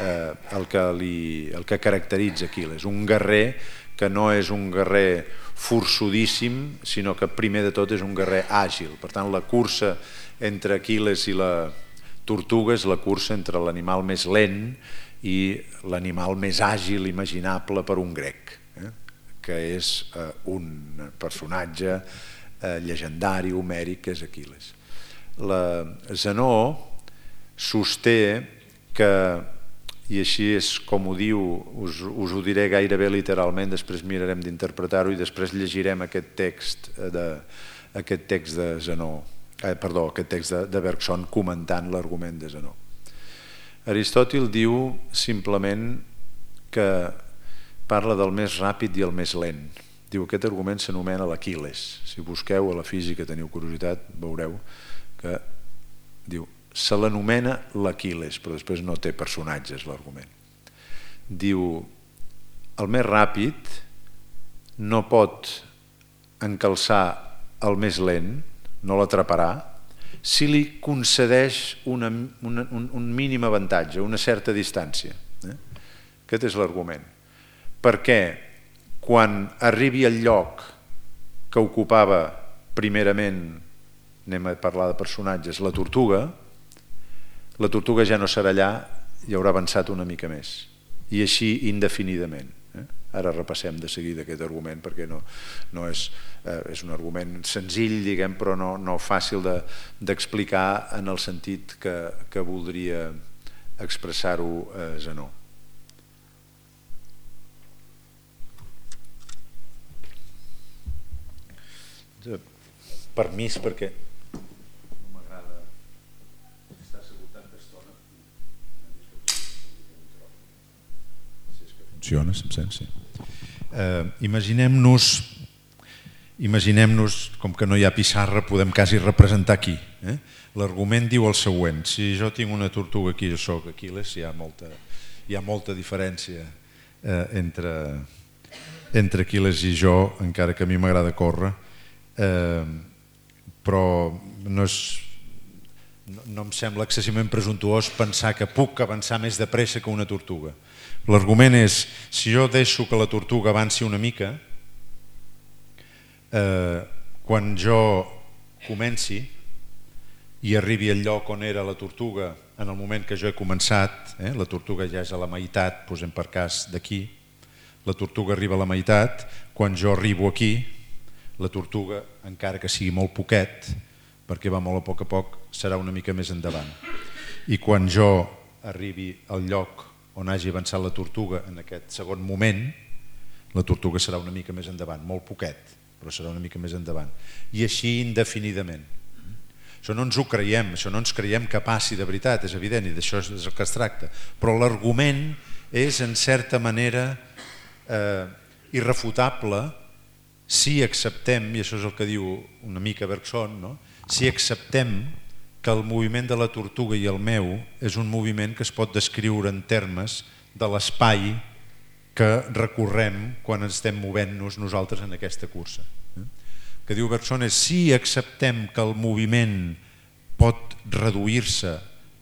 eh, el, que li, el que caracteritza Aquil·les, un guerrer que no és un guerrer forçudíssim, sinó que primer de tot és un guerrer àgil. Per tant, la cursa entre Aquil·les i la tortuga és la cursa entre l'animal més lent i l'animal més àgil imaginable per un grec, eh? que és eh, un personatge llegendari, homèric, que és Aquil·les. Zenó sosté que, i així és com ho diu, us, us ho diré gairebé literalment, després mirarem d'interpretar-ho i després llegirem aquest text de, aquest text de Zenó, eh, perdó, aquest text de, de Bergson comentant l'argument de Zenó. Aristòtil diu simplement que parla del més ràpid i el més lent. Diu, aquest argument s'anomena l'Aquil·les. Si busqueu a la física, teniu curiositat, veureu que diu, se l'anomena l'Aquil·les, però després no té personatges l'argument. Diu, el més ràpid no pot encalçar el més lent, no l'atraparà, si li concedeix una, una, un, un mínim avantatge, una certa distància. Eh? Aquest és l'argument. Perquè quan arribi al lloc que ocupava primerament, anem a parlar de personatges, la tortuga, la tortuga ja no serà allà i haurà avançat una mica més. I així indefinidament. Eh? Ara repassem de seguida aquest argument perquè no, no és, eh, és un argument senzill, diguem, però no, no fàcil de, d'explicar en el sentit que, que voldria expressar-ho eh, Zenó. Permís perquè no m'agrada estar assegut tanta estona. Funciona, s'absència. Eh, imaginem-nos imaginem-nos, com que no hi ha pissarra, podem quasi representar aquí. Eh? L'argument diu el següent: si jo tinc una tortuga aquí, jo soc Aquil·les, hi ha molta, hi ha molta diferència eh, entre, entre Aquil·les i jo, encara que a mi m'agrada córrer. Eh, però no, és, no, no em sembla excessivament presumptuós pensar que puc avançar més de pressa que una tortuga. L'argument és, si jo deixo que la tortuga avanci una mica, eh, quan jo comenci i arribi al lloc on era la tortuga en el moment que jo he començat, eh, la tortuga ja és a la meitat, posem per cas d'aquí, la tortuga arriba a la meitat, quan jo arribo aquí, la tortuga, encara que sigui molt poquet, perquè va molt a poc a poc, serà una mica més endavant. I quan jo arribi al lloc on hagi avançat la tortuga en aquest segon moment, la tortuga serà una mica més endavant, molt poquet, però serà una mica més endavant. I així indefinidament. Això no ens ho creiem, això no ens creiem que passi de veritat, és evident, i d'això és el que es tracta. Però l'argument és, en certa manera, eh, irrefutable si acceptem, i això és el que diu una mica Bergson, no? Si acceptem que el moviment de la tortuga i el meu és un moviment que es pot descriure en termes de l'espai que recorrem quan estem movent-nos nosaltres en aquesta cursa. El que diu Bergson és, si acceptem que el moviment pot reduir-se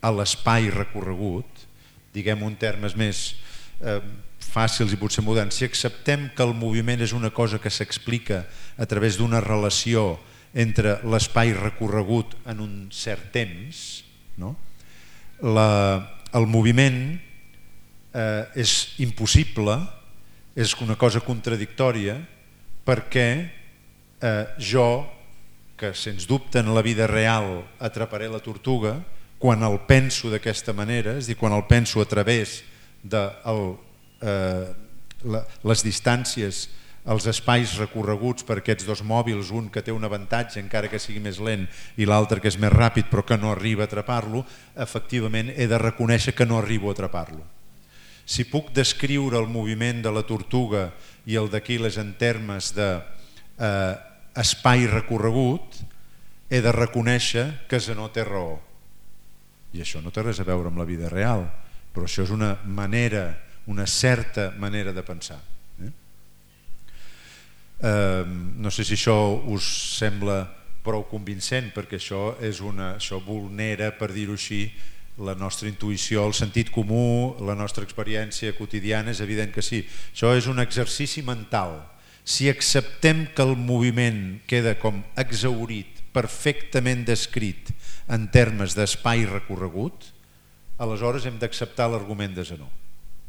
a l'espai recorregut, diguem en termes més eh, fàcils i potser moderns, si acceptem que el moviment és una cosa que s'explica a través d'una relació entre l'espai recorregut en un cert temps, no? La, el moviment eh, és impossible, és una cosa contradictòria, perquè eh, jo, que sens dubte en la vida real atraparé la tortuga, quan el penso d'aquesta manera, és a dir, quan el penso a través de el, eh, la, les distàncies, els espais recorreguts per aquests dos mòbils, un que té un avantatge encara que sigui més lent i l'altre que és més ràpid però que no arriba a atrapar-lo, efectivament he de reconèixer que no arribo a atrapar-lo. Si puc descriure el moviment de la tortuga i el d'Aquil·les en termes d'espai recorregut, he de reconèixer que Zenó té raó. I això no té res a veure amb la vida real, però això és una manera, una certa manera de pensar. Eh, no sé si això us sembla prou convincent, perquè això és una, això vulnera, per dir-ho així, la nostra intuïció, el sentit comú, la nostra experiència quotidiana, és evident que sí. Això és un exercici mental. Si acceptem que el moviment queda com exhaurit, perfectament descrit en termes d'espai recorregut, aleshores hem d'acceptar l'argument de Zenó.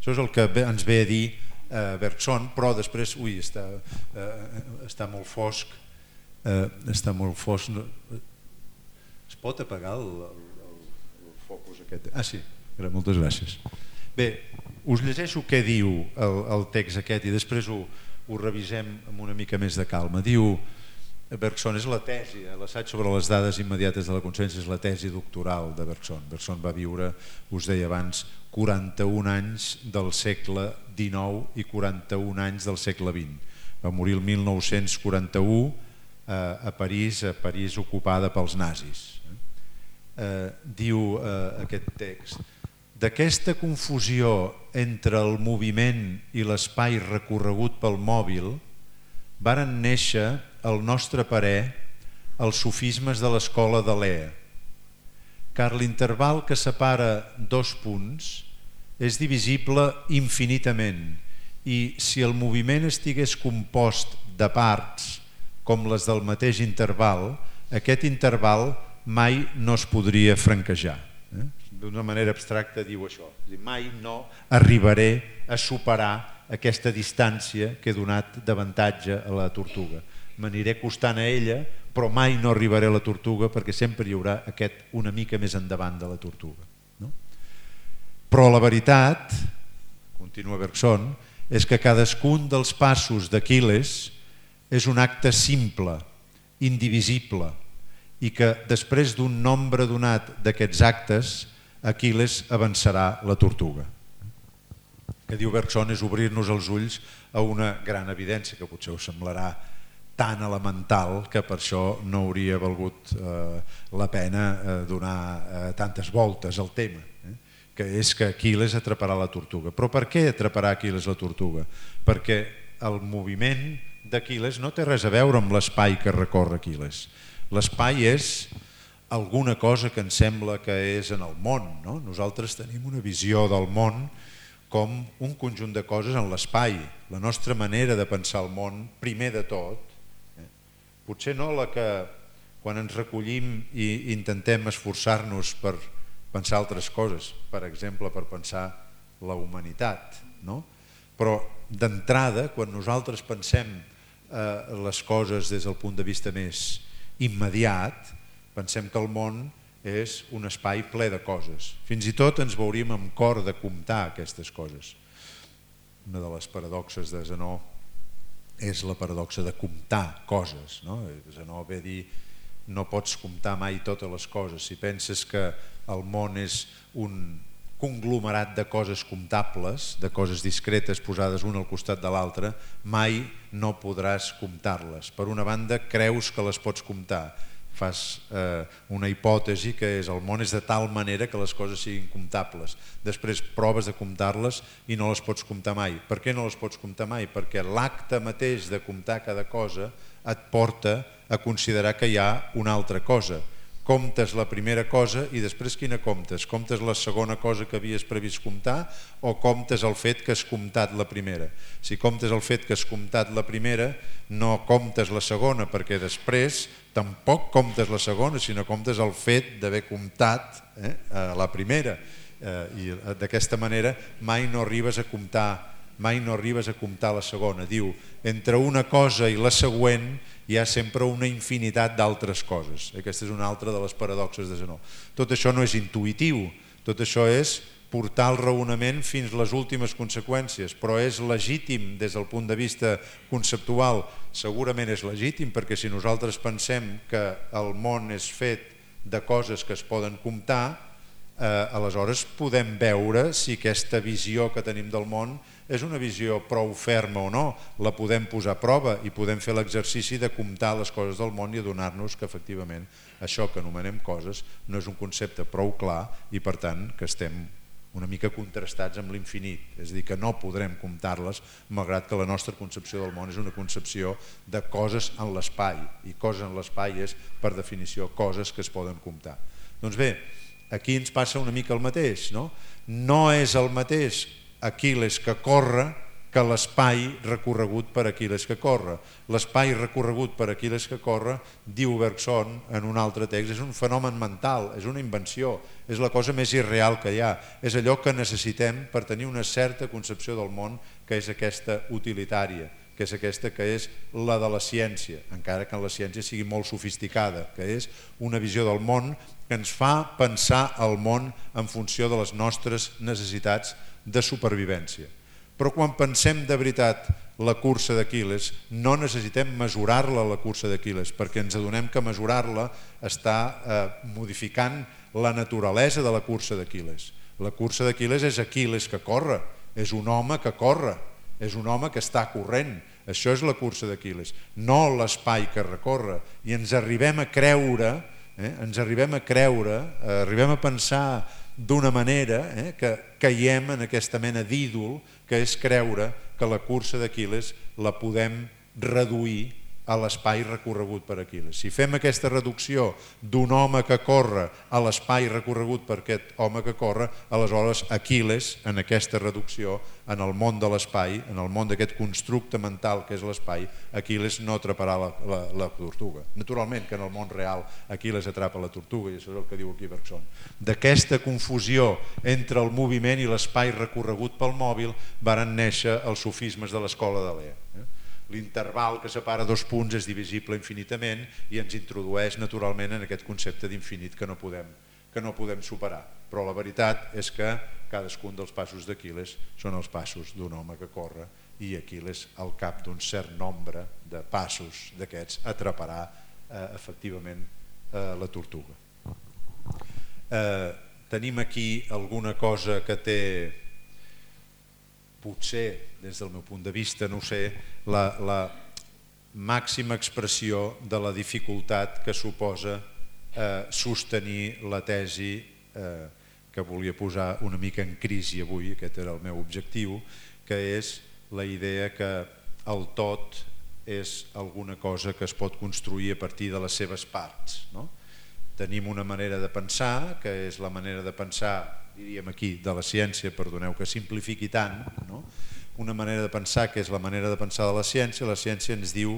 Això és el que ens ve a dir eh, Bergson, però després, ui, està, eh, està molt fosc, eh, està molt fosc. Es pot apagar el, el, el focus aquest? Ah, sí, moltes gràcies. Bé, us llegeixo què diu el, el text aquest i després ho, ho revisem amb una mica més de calma. Diu Bergson, és la tesi, l'assaig sobre les dades immediates de la consciència és la tesi doctoral de Bergson. Bergson va viure, us deia abans, quaranta-un anys del segle dinou i quaranta-un anys del segle vint. va morir el mil nou-cents quaranta-u a París, a París ocupada pels nazis. Diu aquest text: d'aquesta confusió entre el moviment i l'espai recorregut pel mòbil varen néixer, al nostre parer, els sofismes de l'escola de Lea, car l'interval que separa dos punts és divisible infinitament i si el moviment estigués compost de parts com les del mateix interval, aquest interval mai no es podria franquejar. D'una manera abstracta diu això: mai no arribaré a superar aquesta distància que he donat d'avantatge a la tortuga. M'aniré costant a ella, però mai no arribaré a la tortuga perquè sempre hi haurà aquest una mica més endavant de la tortuga. Però la veritat, continua Bergson, és que cadascun dels passos d'Aquil·les és un acte simple, indivisible, i que després d'un nombre donat d'aquests actes, Aquil·les avançarà la tortuga. Que diu Bergson és obrir-nos els ulls a una gran evidència que potser us semblarà tan elemental que per això no hauria valgut la pena donar tantes voltes al tema, que és que Aquil·les atraparà la tortuga. Però per què atraparà Aquil·les la tortuga? Perquè el moviment d'Aquil·les no té res a veure amb l'espai que recorre Aquil·les. L'espai és alguna cosa que ens sembla que és en el món. Nosaltres tenim una visió del món com un conjunt de coses en l'espai. La nostra manera de pensar el món, primer de tot, potser no la que quan ens recollim i intentem esforçar-nos per pensar altres coses, per exemple, per pensar la humanitat, però d'entrada, quan nosaltres pensem les coses des del punt de vista més immediat, pensem que el món és un espai ple de coses. Fins i tot ens veuríem amb cor de comptar aquestes coses. Una de les paradoxes de Zenó és la paradoxa de comptar coses. Zenó ve a dir: no pots comptar mai totes les coses. Si penses que el món és un conglomerat de coses comptables, de coses discretes posades una al costat de l'altra, mai no podràs comptar-les. Per una banda, creus que les pots comptar. Fas una hipòtesi que és: el món és de tal manera que les coses siguin comptables. Després proves de comptar-les i no les pots comptar mai. Per què no les pots comptar mai? Perquè l'acte mateix de comptar cada cosa et porta a considerar que hi ha una altra cosa. Comptes la primera cosa i després quina comptes? Comptes la segona cosa que havies previst comptar o comptes el fet que has comptat la primera? Si comptes el fet que has comptat la primera, no comptes la segona, perquè després tampoc comptes la segona, sinó comptes el fet d'haver comptat la primera. I d'aquesta manera mai no arribes a comptar mai no arribes a comptar la segona. Diu, entre una cosa i la següent hi ha sempre una infinitat d'altres coses. Aquesta és una altra de les paradoxes de Zenó. Tot això no és intuïtiu, tot això és portar el raonament fins a les últimes conseqüències, però és legítim des del punt de vista conceptual. Segurament és legítim perquè si nosaltres pensem que el món és fet de coses que es poden comptar, aleshores podem veure si aquesta visió que tenim del món és una visió prou ferma o no. La podem posar a prova i podem fer l'exercici de comptar les coses del món i adonar-nos que efectivament això que anomenem coses no és un concepte prou clar i per tant que estem una mica contrastats amb l'infinit, és a dir, que no podrem comptar-les malgrat que la nostra concepció del món és una concepció de coses en l'espai i coses en l'espai és per definició coses que es poden comptar. Doncs bé, aquí ens passa una mica el mateix, no? No és el mateix Aquil·les que corre que l'espai recorregut per Aquil·les que corre. L'espai recorregut per Aquil·les que corre, diu Bergson en un altre text, és un fenomen mental, és una invenció, és la cosa més irreal que hi ha, és allò que necessitem per tenir una certa concepció del món que és aquesta utilitària, que és aquesta que és la de la ciència, encara que la ciència sigui molt sofisticada, que és una visió del món que ens fa pensar el món en funció de les nostres necessitats de supervivència. Però quan pensem de veritat la cursa d'Aquil·les, no necessitem mesurar-la, la cursa d'Aquil·les, perquè ens adonem que mesurar-la està modificant la naturalesa de la cursa d'Aquil·les. La cursa d'Aquil·les és Aquil·les que corre, és un home que corre, és un home que està corrent, Això és la cursa d'Aquil·les, no l'espai que recorre. I ens arribem a creure, eh, ens arribem a creure, eh, arribem a pensar d'una manera eh, que caiem en aquesta mena d'ídol que és creure que la cursa d'Aquil·les la podem reduir a l'espai recorregut per Aquil·les. Si fem aquesta reducció d'un home que corre a l'espai recorregut per aquest home que corre, aleshores Aquil·les, en aquesta reducció, en el món de l'espai, en el món d'aquest constructe mental que és l'espai, Aquil·les no atraparà la, la, la tortuga. Naturalment que en el món real Aquil·les atrapa la tortuga, i això és el que diu aquí Bergson. D'aquesta confusió entre el moviment i l'espai recorregut pel mòbil varen néixer els sofismes de l'escola de Lea. L'interval que separa dos punts és divisible infinitament i ens introdueix naturalment en aquest concepte d'infinit que no podem, que no podem superar. Però la veritat és que cadascun dels passos d'Aquil·les són els passos d'un home que corre i Aquil·les, al cap d'un cert nombre de passos d'aquests, atraparà eh, efectivament eh, la tortuga. Eh, tenim aquí alguna cosa que té, potser, des del meu punt de vista, no ho sé, la, la màxima expressió de la dificultat que suposa eh, sostenir la tesi eh, que volia posar una mica en crisi avui, aquest era el meu objectiu, que és la idea que el tot és alguna cosa que es pot construir a partir de les seves parts, no? Tenim una manera de pensar, que és la manera de pensar, diríem aquí, de la ciència, perdoneu que simplifiqui tant, no? Una manera de pensar que és la manera de pensar de la ciència. La ciència ens diu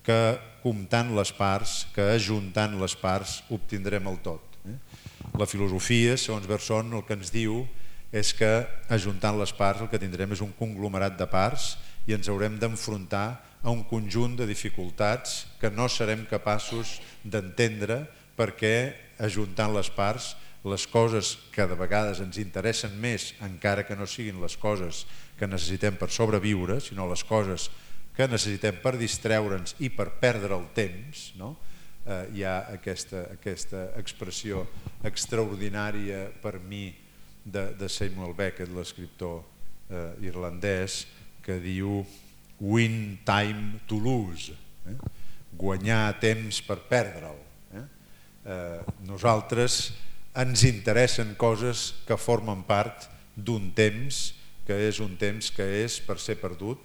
que comptant les parts, que ajuntant les parts obtindrem el tot. La filosofia, segons Bergson, el que ens diu és que ajuntant les parts el que tindrem és un conglomerat de parts i ens haurem d'enfrontar a un conjunt de dificultats que no serem capaços d'entendre perquè ajuntant les parts les coses que de vegades ens interessen més, encara que no siguin les coses que necessitem per sobreviure, sinó les coses que necessitem per distreure'ns i per perdre el temps, no? eh, hi ha aquesta, aquesta expressió extraordinària per mi de, de Samuel Beckett, l'escriptor eh, irlandès, que diu win time to lose, eh? Guanyar temps per perdre'l. Eh? Eh, nosaltres ens interessen coses que formen part d'un temps que és un temps que és per ser perdut,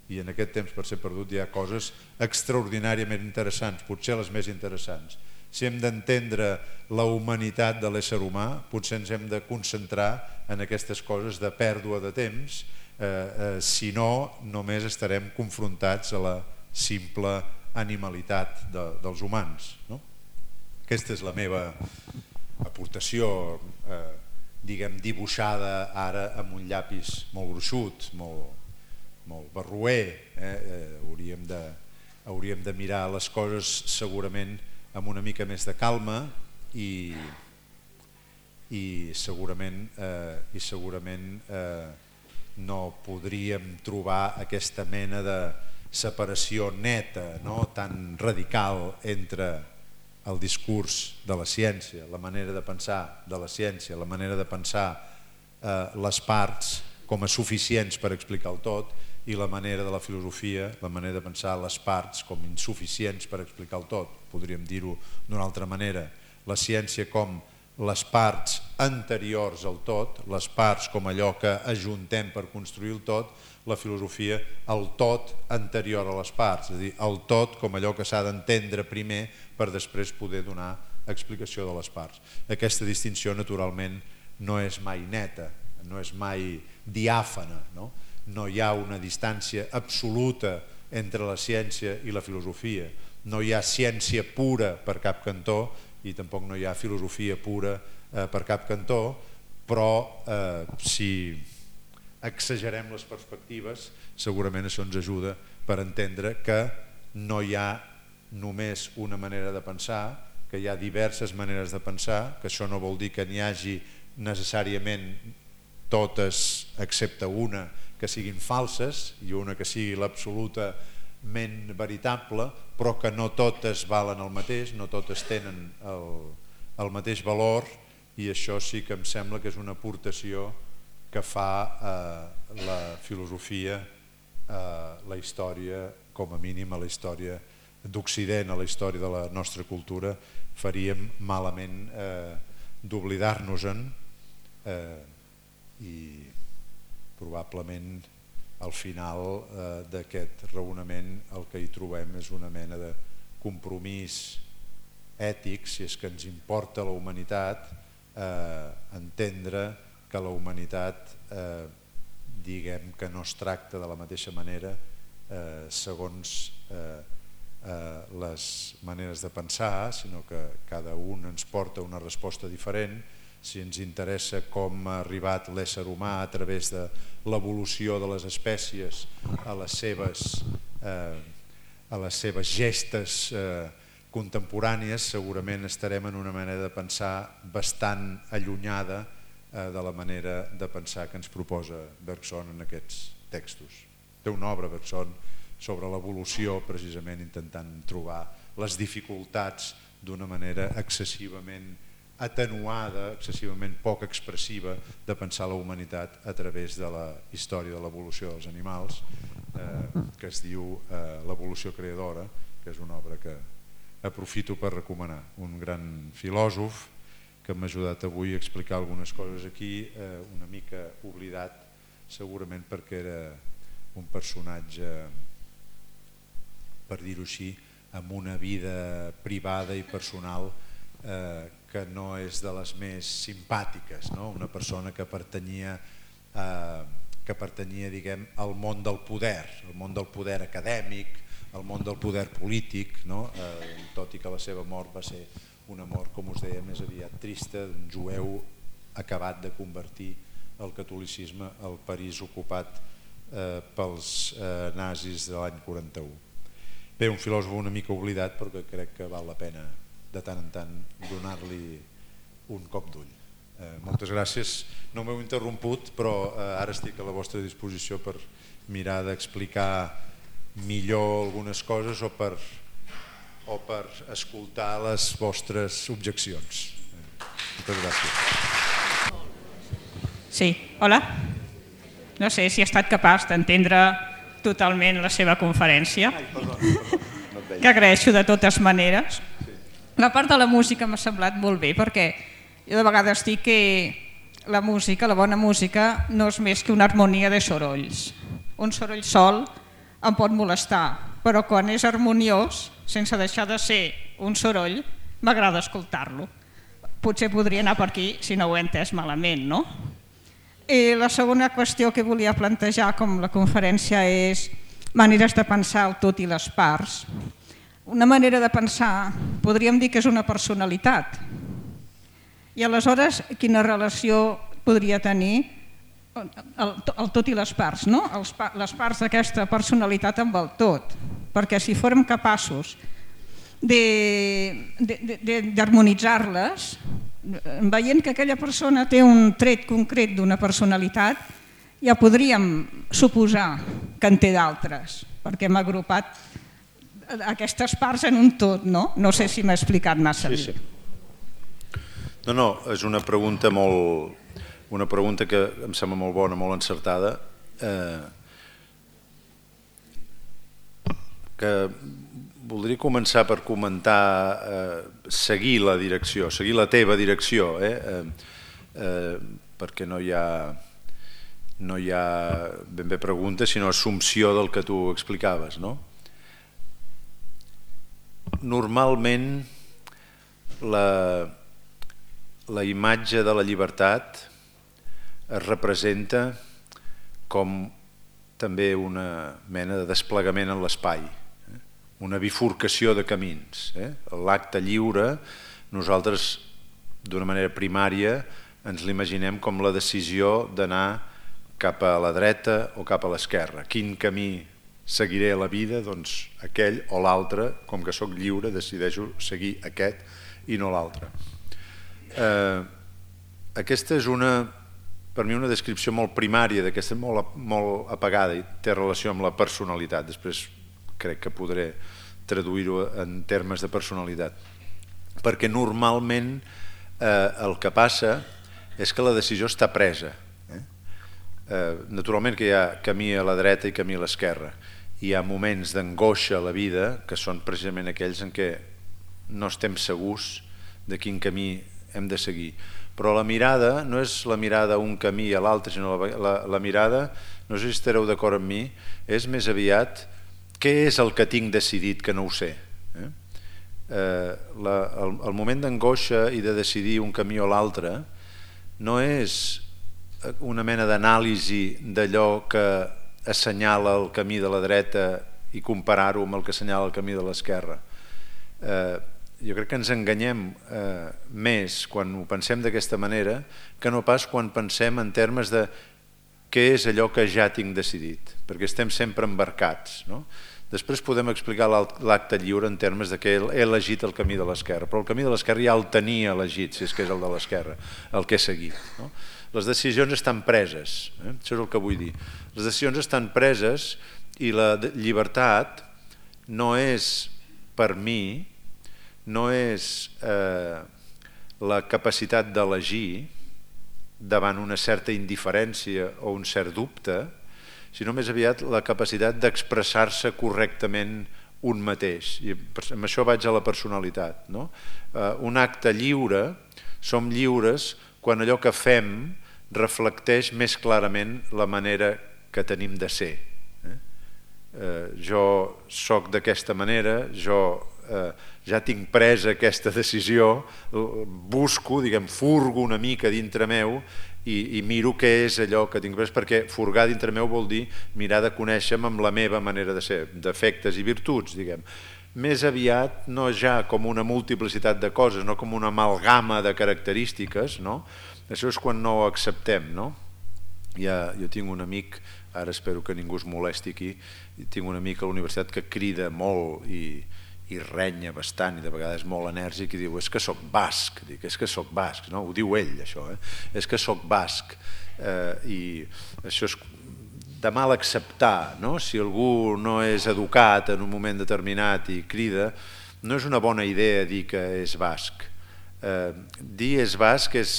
i en aquest temps per ser perdut hi ha coses extraordinàriament interessants, potser les més interessants. Si hem d'entendre la humanitat de l'ésser humà, potser ens hem de concentrar en aquestes coses de pèrdua de temps, eh, eh, si no, només estarem confrontats a la simple animalitat de, dels humans, no? Aquesta és la meva aportació, eh, diguem, dibuixada ara amb un llapis molt gruixut, molt, molt barroer. Eh? Eh, hauríem de, hauríem de mirar les coses segurament amb una mica més de calma i, i segurament, eh, i segurament eh, no podríem trobar aquesta mena de separació neta, no? Tan radical entre el discurs de la ciència, la manera de pensar de la ciència, la manera de pensar eh, les parts com a suficients per explicar el tot, i la manera de la filosofia, la manera de pensar les parts com insuficients per explicar el tot. Podríem dir-ho d'una altra manera. La ciència com les parts anteriors al tot, les parts com allò que ajuntem per construir el tot, la filosofia el tot anterior a les parts, és a dir, el tot com allò que s'ha d'entendre primer per després poder donar explicació de les parts. Aquesta distinció naturalment no és mai neta, no és mai diàfana, no? No hi ha una distància absoluta entre la ciència i la filosofia, no hi ha ciència pura per cap cantó i tampoc no hi ha filosofia pura eh, per cap cantó, però eh, si exagerem les perspectives segurament això ens ajuda per entendre que no hi ha només una manera de pensar, que hi ha diverses maneres de pensar, que això no vol dir que n'hi hagi necessàriament totes excepte una que siguin falses i una que sigui l'absolutament veritable, però que no totes valen el mateix, no totes tenen el, el mateix valor, i això sí que em sembla que és una aportació que fa eh, la filosofia la història, com a mínim a la història d'Occident, a la història de la nostra cultura, faríem malament d'oblidar-nos-en i probablement al final d'aquest raonament el que hi trobem és una mena de compromís ètic, si és que ens importa la humanitat, entendre que la humanitat diguem que no es tracta de la mateixa manera segons les maneres de pensar, sinó que cada un ens porta una resposta diferent. Si ens interessa com ha arribat l'ésser humà a través de l'evolució de les espècies a les seves, a les seves gestes contemporànies, segurament estarem en una manera de pensar bastant allunyada de la manera de pensar que ens proposa Bergson en aquests textos. Té una obra, Bergson, sobre l'evolució, precisament intentant trobar les dificultats d'una manera excessivament atenuada, excessivament poc expressiva de pensar la humanitat a través de la història de l'evolució dels animals, que es diu L'evolució creadora, que és una obra que aprofito per recomanar. Un gran filòsof que m'ha ajudat avui a explicar algunes coses aquí, una mica oblidat segurament perquè era un personatge, per dir-ho així, amb una vida privada i personal que no és de les més simpàtiques, una persona que pertanyia que pertanyia diguem al món del poder, al món del poder acadèmic, al món del poder polític, tot i que la seva mort va ser una mort, com us deia, més aviat trista, d'un jueu acabat de convertir el catolicisme al París ocupat pels nazis de l'any quaranta-u. Bé, un filòsof una mica oblidat, però que crec que val la pena de tant en tant donar-li un cop d'ull. Moltes gràcies. No m'heu interromput, però ara estic a la vostra disposició per mirar d'explicar millor algunes coses o per, o per escoltar les vostres objeccions. Moltes gràcies. Sí, hola. No sé si he estat capaç d'entendre totalment la seva conferència, que agraeixo de totes maneres. La part de la música m'ha semblat molt bé, perquè jo de vegades dic que la música, la bona música, no és més que una harmonia de sorolls. Un soroll sol em pot molestar, però quan és harmoniós, sense deixar de ser un soroll, m'agrada escoltar-lo. Potser podria anar per aquí si no ho he entès malament, no? I la segona qüestió que volia plantejar com la conferència és maneres de pensar el tot i les parts. Una manera de pensar podríem dir que és una personalitat. I aleshores quina relació podria tenir el tot i les parts, no? Les parts d'aquesta personalitat amb el tot. Perquè si fórem capaços d'harmonitzar-les, veient que aquella persona té un tret concret d'una personalitat, ja podríem suposar que en té d'altres, perquè hem agrupat aquestes parts en un tot, no? No sé si m'he explicat massa bé. No, no, és una pregunta molt... una pregunta que em sembla molt bona, molt encertada, que voldria començar per comentar, seguir la direcció, seguir la teva direcció, perquè no hi ha no hi ha ben bé pregunta, sinó assumpció del que tu explicaves, no? Normalment la la imatge de la llibertat es representa com també una mena de desplegament en l'espai, una bifurcació de camins. L'acte lliure, nosaltres d'una manera primària ens l'imaginem com la decisió d'anar cap a la dreta o cap a l'esquerra. Quin camí seguiré a la vida? Doncs aquell o l'altre, com que sóc lliure decideixo seguir aquest i no l'altre. Aquesta és una, per mi, una descripció molt primària d'aquesta, molt apagada i té relació amb la personalitat. Després crec que podré traduir-ho en termes de personalitat. Perquè normalment el que passa és que la decisió està presa. Naturalment que hi ha camí a la dreta i camí a l'esquerra. Hi ha moments d'angoixa a la vida que són precisament aquells en què no estem segurs de quin camí hem de seguir. Però la mirada no és la mirada a un camí a l'altre, sinó la, la, la mirada, no sé si estareu d'acord amb mi, és més aviat què és el que tinc decidit que no ho sé. Eh? Eh, la, el, el moment d'angoixa i de decidir un camí o l'altre no és una mena d'anàlisi d'allò que assenyala el camí de la dreta i comparar-ho amb el que assenyala el camí de l'esquerra. Eh, jo crec que ens enganyem eh, més quan ho pensem d'aquesta manera que no pas quan pensem en termes de què és allò que ja tinc decidit, perquè estem sempre embarcats, no? Després podem explicar l'acte lliure en termes de que he elegit el camí de l'esquerra, però el camí de l'esquerra ja el tenia elegit, si és que és el de l'esquerra, el que he seguit. No? Les decisions estan preses, eh? Això és el que vull dir. Les decisions estan preses i la llibertat no és, per mi, no és eh, la capacitat d'elegir davant una certa indiferència o un cert dubte, sinó més aviat la capacitat d'expressar-se correctament un mateix. I amb això vaig a la personalitat. No? Eh, un acte lliure, som lliures quan allò que fem reflecteix més clarament la manera que tenim de ser. Eh? Eh, jo soc d'aquesta manera, jo eh, ja tinc presa aquesta decisió, busco, diguem, furgo una mica dintre meu i, i miro què és allò que tinc pres, perquè furgar dintre meu vol dir mirar de conèixer-me amb la meva manera de ser, defectes i virtuts, diguem. Més aviat, no ja com una multiplicitat de coses, no com una amalgama de característiques, no? Això és quan no ho acceptem, no? Ja, jo tinc un amic, ara espero que ningú es molesti aquí, tinc un amic a la universitat que crida molt i, i renya bastant i de vegades molt enèrgic i diu és que soc basc, dic, és que soc basc, no? Ho diu ell això, eh? És que soc basc eh, i això és de mal acceptar, no? Si algú no és educat en un moment determinat i crida, no és una bona idea dir que és basc. Eh, dir és basc és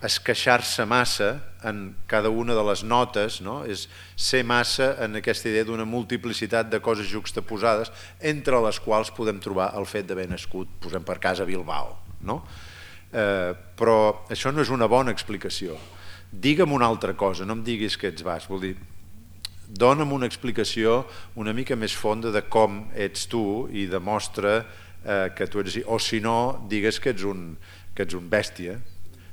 esqueixar-se massa en cada una de les notes, no? És ser massa en aquesta idea d'una multiplicitat de coses juxtaposades entre les quals podem trobar el fet d'haver nascut, posem per cas, a Bilbao, no? Eh, però això no és una bona explicació. Digue'm una altra cosa, no em diguis que ets basc, vol dir, dona'm una explicació una mica més fonda de com ets tu i demostra eh, que tu ets, o si no, digues que ets un, que ets un bèstia,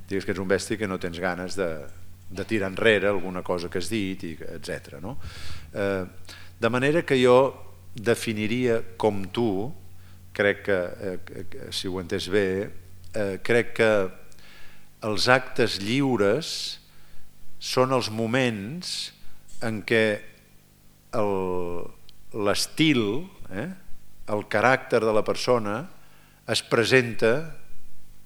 digues que ets un bèstia que no tens ganes de, de tirar enrere alguna cosa que has dit, etcètera. No? Eh, de manera que jo definiria com tu, crec que, eh, si ho he entès bé, eh, crec que els actes lliures són els moments en què l'estil, eh, el caràcter de la persona es presenta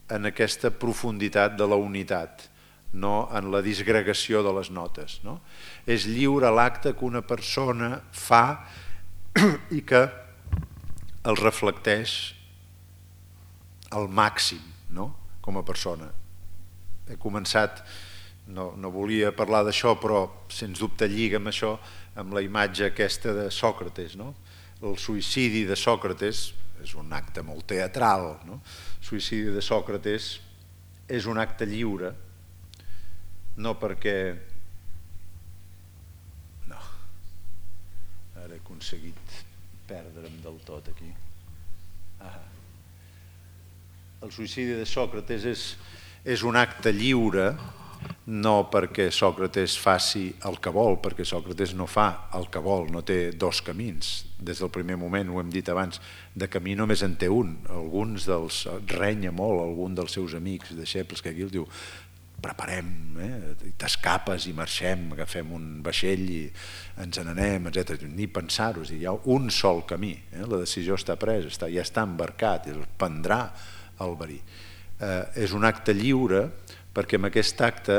en aquesta profunditat de la unitat, no en la disgregació de les notes. No? És lliure l'acte que una persona fa i que el reflecteix al màxim, no? Com a persona. He començat, no, no volia parlar d'això, però sens dubte lliga amb això, amb la imatge aquesta de Sòcrates. No? El suïcidi de Sòcrates és un acte molt teatral, no? El suïcidi de Sòcrates és un acte lliure, no perquè... No, ara he aconseguit perdre'm del tot aquí. Ah. El suïcidi de Sòcrates és, és un acte lliure, no perquè Sòcrates faci el que vol, perquè Sòcrates no fa el que vol, no té dos camins. Des del primer moment, ho hem dit abans, de camí només en té un. Alguns dels... renya molt algun dels seus amics, deixebles, que aquí el diu preparem, eh? T'escapes i marxem, agafem un vaixell i ens n'anem, etcètera. Ni pensar-ho, hi ha un sol camí, eh? La decisió està presa, està, ja està embarcat, es prendrà el verí. Eh, és un acte lliure perquè en aquest acte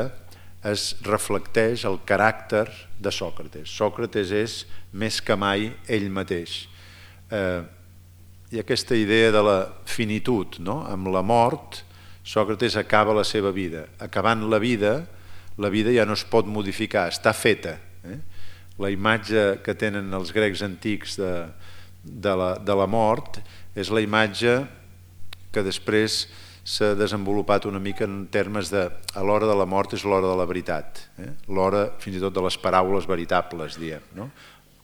es reflecteix el caràcter de Sòcrates. Sòcrates és més que mai ell mateix. Eh, hi ha aquesta idea de la finitud, no? Amb la mort, Sòcrates acaba la seva vida. Acabant la vida, la vida ja no es pot modificar, està feta. La imatge que tenen els grecs antics de la mort és la imatge que després s'ha desenvolupat una mica en termes de a l'hora de la mort és l'hora de la veritat, l'hora fins i tot de les paraules veritables, diem,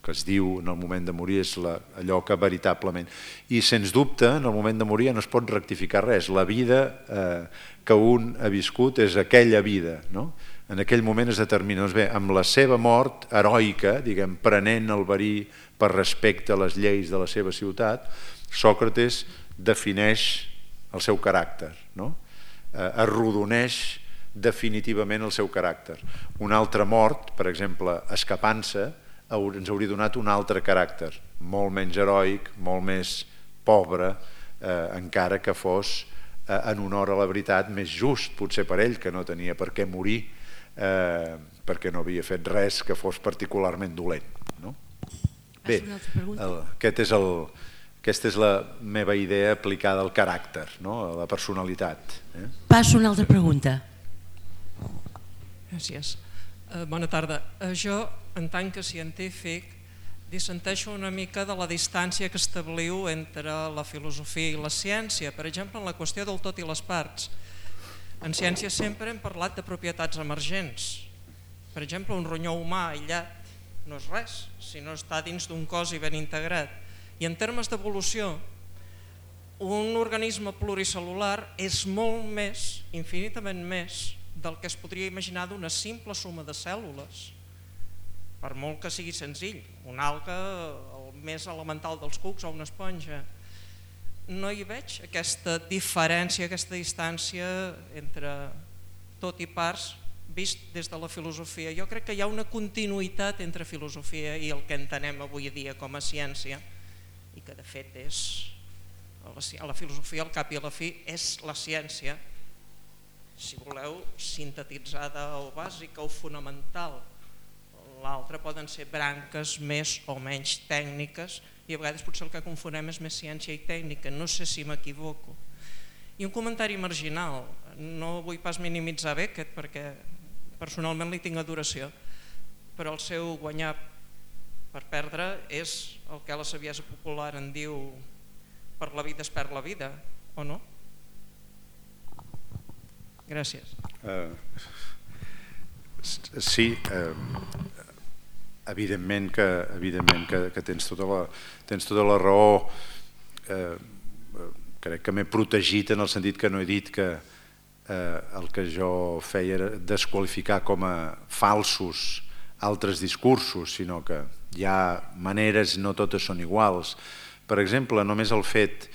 que es diu en el moment de morir és allò que veritablement... I sens dubte, en el moment de morir no es pot rectificar res, la vida que un ha viscut és aquella vida, no? En aquell moment es determina, doncs bé, amb la seva mort heroica, diguem, prenent el verí per respecte a les lleis de la seva ciutat, Sòcrates defineix el seu caràcter, arrodoneix definitivament el seu caràcter. Una altra mort, per exemple, escapant-se, ens hauria donat un altre caràcter, molt menys heroic, molt més pobre, encara que fos en honor a la veritat més just, potser per ell, que no tenia per què morir, perquè no havia fet res que fos particularment dolent. Bé, aquesta és la meva idea aplicada al caràcter, a la personalitat. Passo una altra pregunta. Gràcies. Bona tarda. Jo, en tant que científic, dissenteixo una mica de la distància que establiu entre la filosofia i la ciència. Per exemple, en la qüestió del tot i les parts. En ciència sempre hem parlat de propietats emergents. Per exemple, un ronyó humà aïllat no és res, si no està dins d'un cos i ben integrat. I en termes d'evolució, un organisme pluricel·lular és molt més, infinitament més, del que es podria imaginar d'una simple suma de cèl·lules. Per molt que sigui senzill, una alga, el més elemental dels cucs o una esponja. No hi veig aquesta diferència, aquesta distància entre tot i parts vist des de la filosofia. Jo crec que hi ha una continuïtat entre filosofia i el que entenem avui dia com a ciència i que de fet és, a la filosofia al cap i a la fi és la ciència, si voleu, sintetitzada o bàsica o fonamental. L'altre poden ser branques més o menys tècniques i a vegades potser el que confonem és més ciència i tècnica, no sé si m'equivoco. I un comentari marginal, no vull pas minimitzar Beckett perquè personalment li tinc adoració, però el seu guanyar per perdre és el que a la saviesa popular en diu per la vida es perd la vida, o no? Gràcies. Sí, evidentment que tens tota la raó. Crec que m'he protegit en el sentit que no he dit que el que jo feia era desqualificar com a falsos altres discursos, sinó que hi ha maneres, no totes són iguals. Per exemple, només el fet,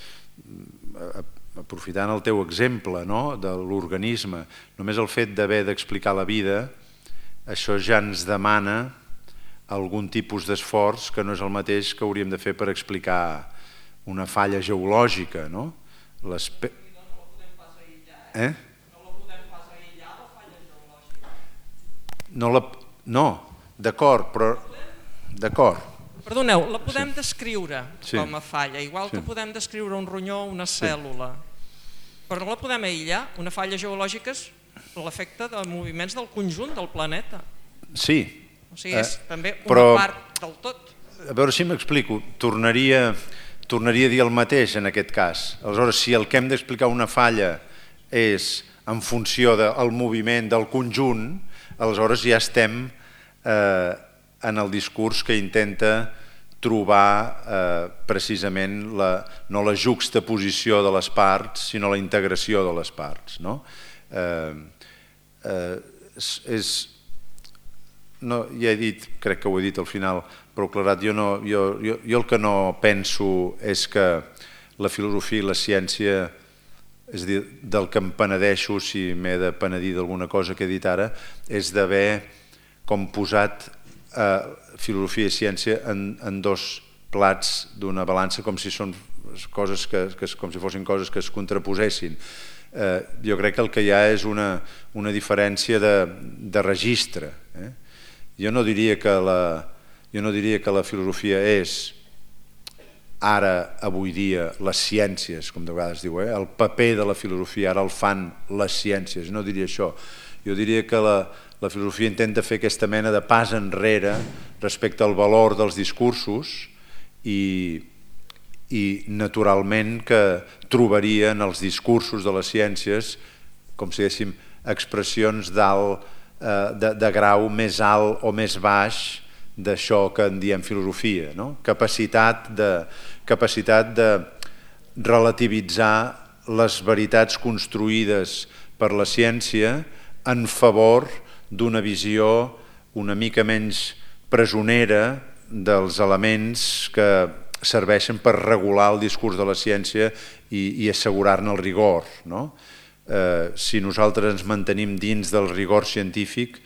aprofitant el teu exemple de l'organisme, només el fet d'haver d'explicar la vida, això ja ens demana algun tipus d'esforç que no és el mateix que hauríem de fer per explicar una falla geològica, no? No la podem pas aïllar, eh? No la podem pas aïllar, la falla geològica? No, d'acord, però... D'acord. Perdoneu, la podem descriure com a falla, igual que podem descriure un ronyó o una cèl·lula, però no la podem aïllar. Una falla geològica és l'efecte de moviments del conjunt del planeta. Sí. O sigui, és també una part del tot. A veure si m'explico. Tornaria a dir el mateix en aquest cas. Aleshores, si el que hem d'explicar una falla és en funció del moviment del conjunt, aleshores ja estem en el discurs que intenta trobar precisament no la juxtaposició de les parts, sinó la integració de les parts. Ja he dit, crec que ho he dit al final, però aclarat, jo el que no penso és que la filosofia i la ciència, és a dir, del que em penedeixo, si m'he de penedir d'alguna cosa que he dit ara, és d'haver com posat filosofia i ciència en dos plats d'una balança com si fossin coses que es contraposessin. Jo crec que el que hi ha és una diferència de registre. Jo no diria que la filosofia és ara, avui dia, les ciències, com de vegades diu, el paper de la filosofia ara el fan les ciències, no diria això. Jo diria que la filosofia intenta fer aquesta mena de pas enrere respecte al valor dels discursos i, i naturalment que trobaria en els discursos de les ciències, com si diguéssim, expressions d'alt, eh, de, de grau més alt o més baix d'això que en diem filosofia, no? Capacitat de, capacitat de relativitzar les veritats construïdes per la ciència en favor d'una visió una mica menys presonera dels elements que serveixen per regular el discurs de la ciència i, i assegurar-ne el rigor, no? Eh, si nosaltres ens mantenim dins del rigor científic,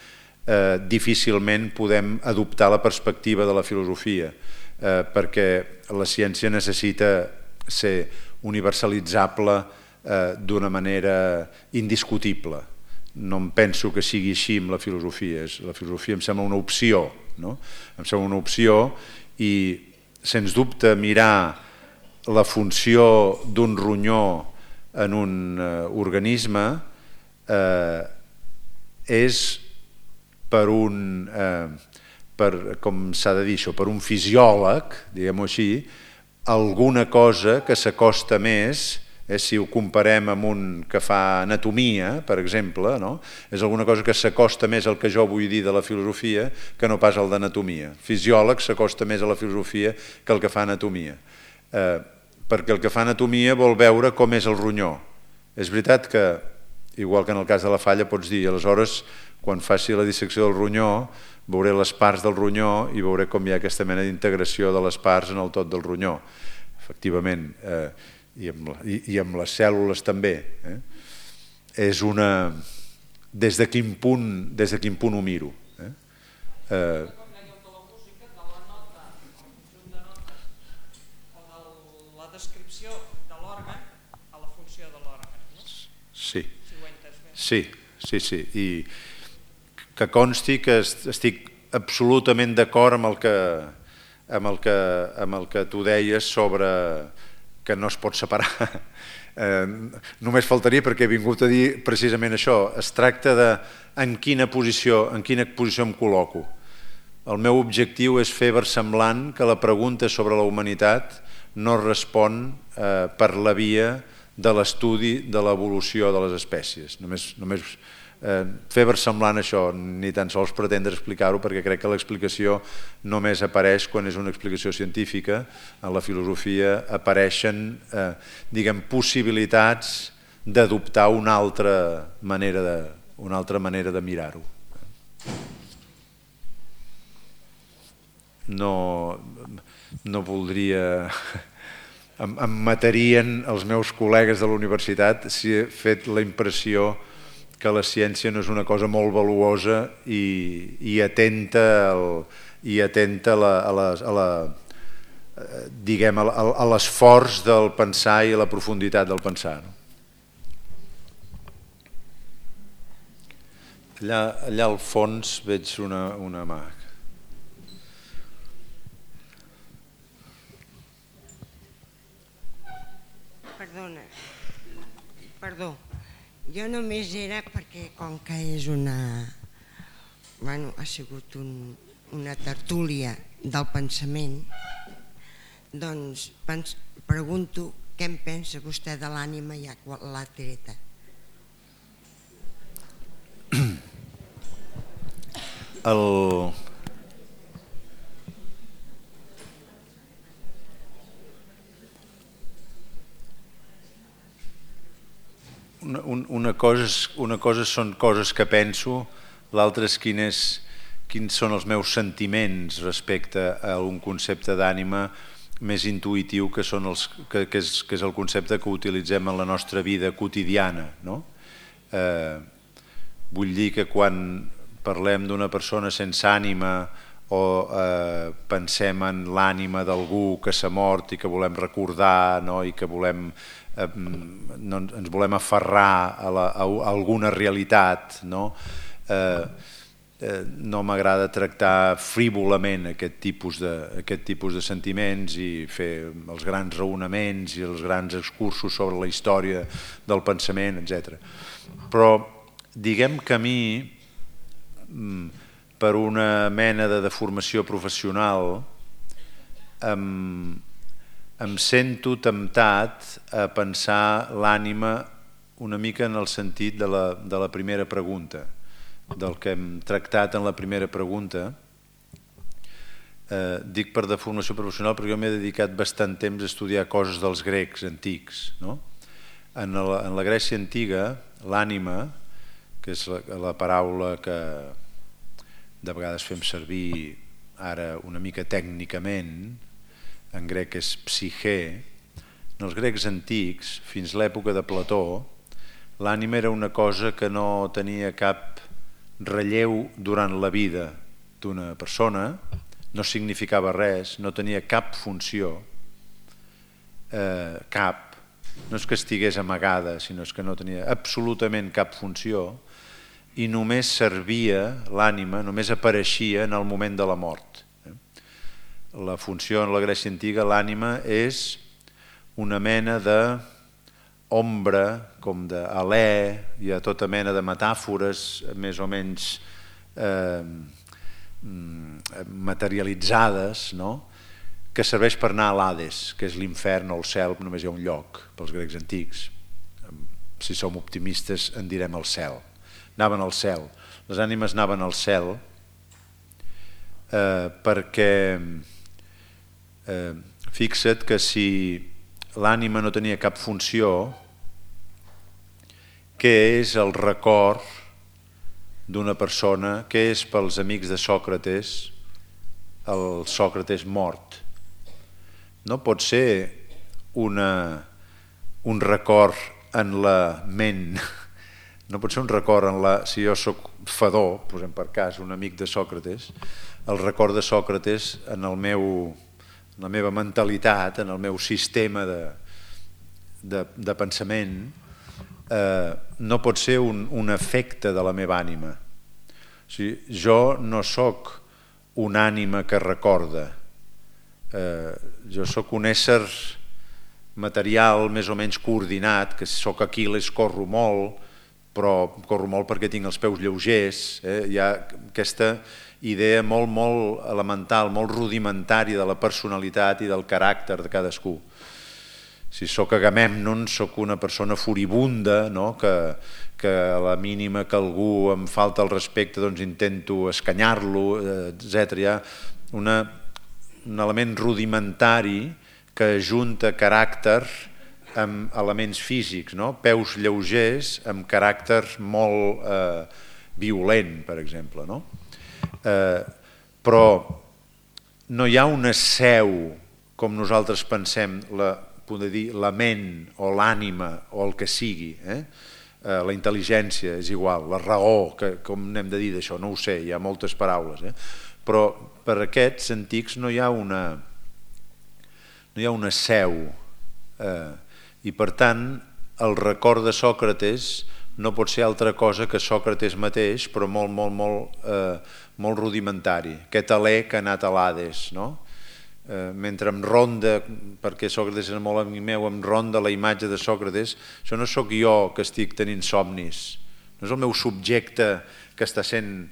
eh, difícilment podem adoptar la perspectiva de la filosofia, eh, perquè la ciència necessita ser universalitzable eh, d'una manera indiscutible. No em penso que sigui així amb la filosofia. La filosofia em sembla una opció, no? Em sembla una opció i, sens dubte, mirar la funció d'un ronyó en un eh, organisme eh, és per un, eh, per, com s'ha de dir això, per un fisiòleg, diguem-ho així, alguna cosa que s'acosta més, eh, si ho comparem amb un que fa anatomia, per exemple, no? És alguna cosa que s'acosta més al que jo vull dir de la filosofia que no pas al d'anatomia. Fisiòleg s'acosta més a la filosofia que el que fa anatomia. Eh, perquè el que fa anatomia vol veure com és el ronyó. És veritat que, igual que en el cas de la falla, pots dir, aleshores, quan faci la dissecció del ronyó, veuré les parts del ronyó i veuré com hi ha aquesta mena d'integració de les parts en el tot del ronyó. Efectivament, eh, i, amb la, i, i amb les cèl·lules també. Eh? És una... Des de quin punt, des de quin punt ho miro. Eh? Eh, la descripció de l'òrgan a la funció de l'òrgan, no? Sí, sí, sí, sí. I que consti que estic absolutament d'acord amb el que amb el que, amb el que tu deies sobre que no es pot separar. Eh, només faltaria, perquè he vingut a dir precisament això. Es tracta de en quina posició, en quina posició em col·loco. El meu objectiu és fer versemblant que la pregunta sobre la humanitat no respon eh, per la via de l'estudi de l'evolució de les espècies. Només, només eh, fer versemblant això, ni tan sols pretendre explicar-ho, perquè crec que l'explicació només apareix quan és una explicació científica. En la filosofia apareixen eh, diguem, possibilitats d'adoptar una altra manera de, una altra manera de mirar-ho. No, no voldria... Em, em matarien els meus col·legues de la universitat si he fet la impressió que la ciència no és una cosa molt valuosa i, i atenta, el, i atenta a la, a la, a la, diguem, a l'esforç del pensar i a la profunditat del pensar. Allà, allà al fons veig una, una mà. Perdona, perdó, jo només era perquè com que és una, bueno, ha sigut un, una tertúlia del pensament, doncs pens, pregunto què en pensa vostè de l'ànima ja quan l'ha treta. El... Una, una, cosa, una cosa són coses que penso, l'altra és, quin és quins són els meus sentiments respecte a un concepte d'ànima més intuïtiu que, són els, que, que, és, que és el concepte que utilitzem en la nostra vida quotidiana. No? Eh, vull dir que quan parlem d'una persona sense ànima o eh, pensem en l'ànima d'algú que s'ha mort i que volem recordar, no? I que volem... no, ens volem aferrar a, la, a alguna realitat, no, eh, eh, no m'agrada tractar frívolament aquest tipus, de, aquest tipus de sentiments i fer els grans raonaments i els grans excursos sobre la història del pensament, etcètera. Però diguem que a mi per una mena de deformació professional, em, em sento temptat a pensar l'ànima una mica en el sentit de la, de la primera pregunta, del que hem tractat en la primera pregunta. Eh, dic per deformació professional perquè jo m'he dedicat bastant temps a estudiar coses dels grecs antics. No? En, la, en la Grècia antiga, l'ànima, que és la, la paraula que de vegades fem servir ara una mica tècnicament, en grec és psique, en els grecs antics, fins l'època de Plató, l'ànima era una cosa que no tenia cap relleu durant la vida d'una persona, no significava res, no tenia cap funció, eh, cap, no és que estigués amagada, sinó és que no tenia absolutament cap funció i només servia l'ànima, només apareixia en el moment de la mort. La funció en la Grècia antiga, l'ànima és una mena de ombra, com d'alè, hi ha tota mena de metàfores més o menys eh, materialitzades, no? Que serveix per anar a l'Hades, que és l'infern o el cel, només hi ha un lloc pels grecs antics. Si som optimistes en direm el cel. Anaven al cel. Les ànimes anaven al cel eh, perquè eh, fixa't que si l'ànima no tenia cap funció, què és el record d'una persona, què és pels amics de Sòcrates el Sòcrates mort? No pot ser una, un record en la ment, no pot ser un record en la... Si jo soc Fedó, posem per cas, un amic de Sòcrates, el record de Sòcrates en, el meu, en la meva mentalitat, en el meu sistema de, de, de pensament, Eh, no pot ser un, un efecte de la meva ànima. O sigui, jo no sóc una ànima que recorda, eh, jo sóc un ésser material més o menys coordinat, que si sóc Aquil·les corro molt, però corro molt perquè tinc els peus lleugers. Eh? Hi ha aquesta idea molt, molt elemental, molt rudimentària de la personalitat i del caràcter de cadascú. Si sóc Agamèmnon, sóc una persona furibunda, no? que, que a la mínima que algú em falta el respecte doncs intento escanyar-lo, etcètera. Hi ha una, un element rudimentari que ajunta caràcter amb elements físics, no? Peus lleugers amb caràcter molt eh, violent, per exemple. No? Eh, però no hi ha una seu, com nosaltres pensem, la poder dir la ment o l'ànima o el que sigui, eh? Eh, la intel·ligència és igual, la raó, que, com n'hem de dir d'això, no ho sé, hi ha moltes paraules, eh? Però per aquests antics no hi ha una, no hi ha una seu, eh? I per tant el record de Sòcrates no pot ser altra cosa que Sòcrates mateix, però molt, molt, molt, eh, molt rudimentari, aquest alè que ha anat a l'Hades, no? Eh, mentre em ronda, perquè Sòcrates és molt amic meu, em ronda la imatge de Sòcrates, això no sóc jo que estic tenint somnis, no és el meu subjecte que està sent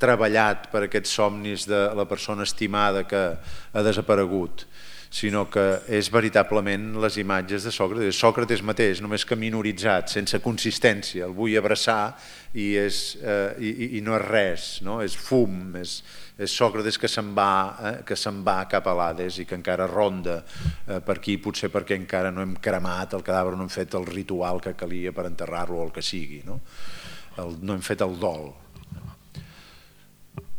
treballat per aquests somnis de la persona estimada que ha desaparegut, sinó que és veritablement les imatges de Sòcrates, Sòcrates mateix, només que minoritzat, sense consistència, el vull abraçar i, és, eh, i, i no és res, no? És fum, és, és Sòcrates que se'n va, eh, que se'n va cap a l'Hades i que encara ronda eh, per aquí, potser perquè encara no hem cremat el cadàver, no hem fet el ritual que calia per enterrar-lo o el que sigui, no? El, no hem fet el dol.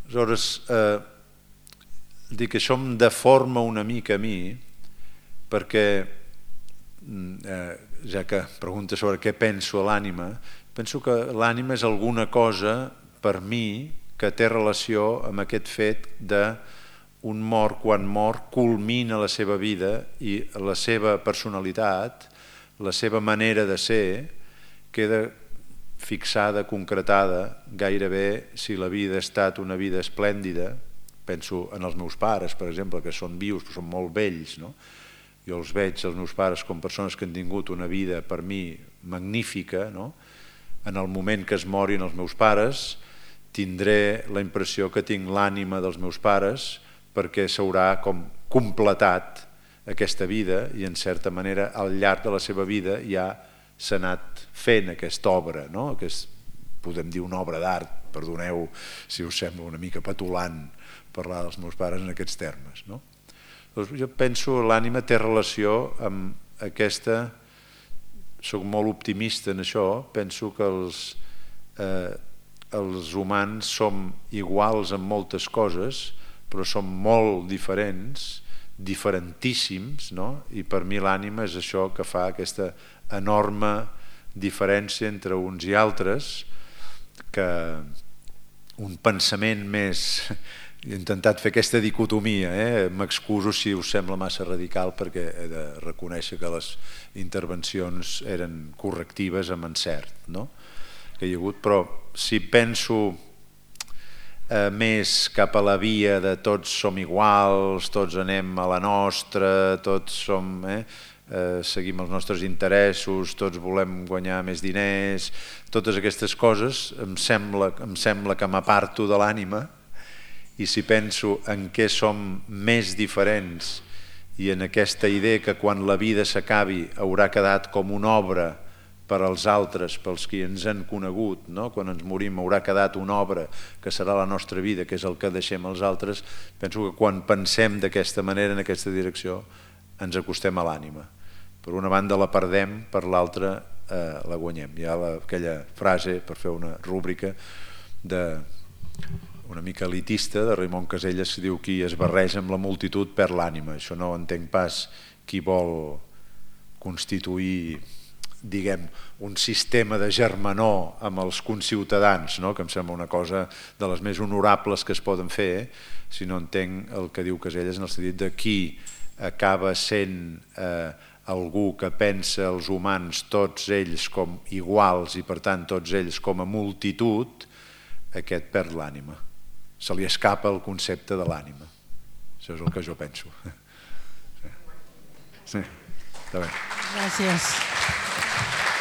Aleshores, eh, dic que això em deforma una mica a mi perquè, eh, ja que pregunta sobre què penso a l'ànima, penso que l'ànima és alguna cosa per mi que té relació amb aquest fet d'un mort quan mort culmina la seva vida i la seva personalitat, la seva manera de ser queda fixada, concretada, gairebé si la vida ha estat una vida esplèndida. Penso en els meus pares, per exemple, que són vius, però són molt vells, no? Jo els veig, els meus pares, com persones que han tingut una vida, per mi, magnífica, no? En el moment que es morin els meus pares, tindré la impressió que tinc l'ànima dels meus pares perquè s'haurà com completat aquesta vida i en certa manera al llarg de la seva vida ja s'ha anat fent aquesta obra, no? Que és, podem dir, una obra d'art, perdoneu si us sembla una mica petulant parlar dels meus pares en aquests termes, no? Doncs jo penso que l'ànima té relació amb aquesta, soc molt optimista en això, penso que els, eh, els humans som iguals en moltes coses, però som molt diferents, diferentíssims, no? I per mi l'ànima és això que fa aquesta enorme diferència entre uns i altres, que un pensament més... He intentat fer aquesta dicotomia, eh? M'excuso si us sembla massa radical perquè he de reconèixer que les intervencions eren correctives amb encert, no? Que hi ha hagut, però si penso eh, més cap a la via de tots som iguals, tots anem a la nostra, tots som... Eh? Eh, seguim els nostres interessos, tots volem guanyar més diners, totes aquestes coses, em sembla, em sembla que m'aparto de l'ànima. I si penso en què som més diferents i en aquesta idea que quan la vida s'acabi haurà quedat com una obra per als altres, pels qui ens han conegut, no? Quan ens morim haurà quedat una obra que serà la nostra vida, que és el que deixem als altres, penso que quan pensem d'aquesta manera, en aquesta direcció, ens acostem a l'ànima. Per una banda la perdem, per l'altra eh, la guanyem. Hi ha la, aquella frase, per fer una rúbrica, de... una mica elitista de Raimon Casellas que diu qui es barreja amb la multitud perd l'ànima. Això no entenc pas qui vol constituir, diguem, un sistema de germanor amb els conciutadans, no? Que em sembla una cosa de les més honorables que es poden fer, si no entenc el que diu Casellas en el sentit de qui acaba sent eh, algú que pensa els humans tots ells com iguals i per tant tots ells com a multitud, aquest perd l'ànima. Se li escapa el concepte de l'ànima. Això és el que jo penso. Sí, sí. Està bé. Gràcies.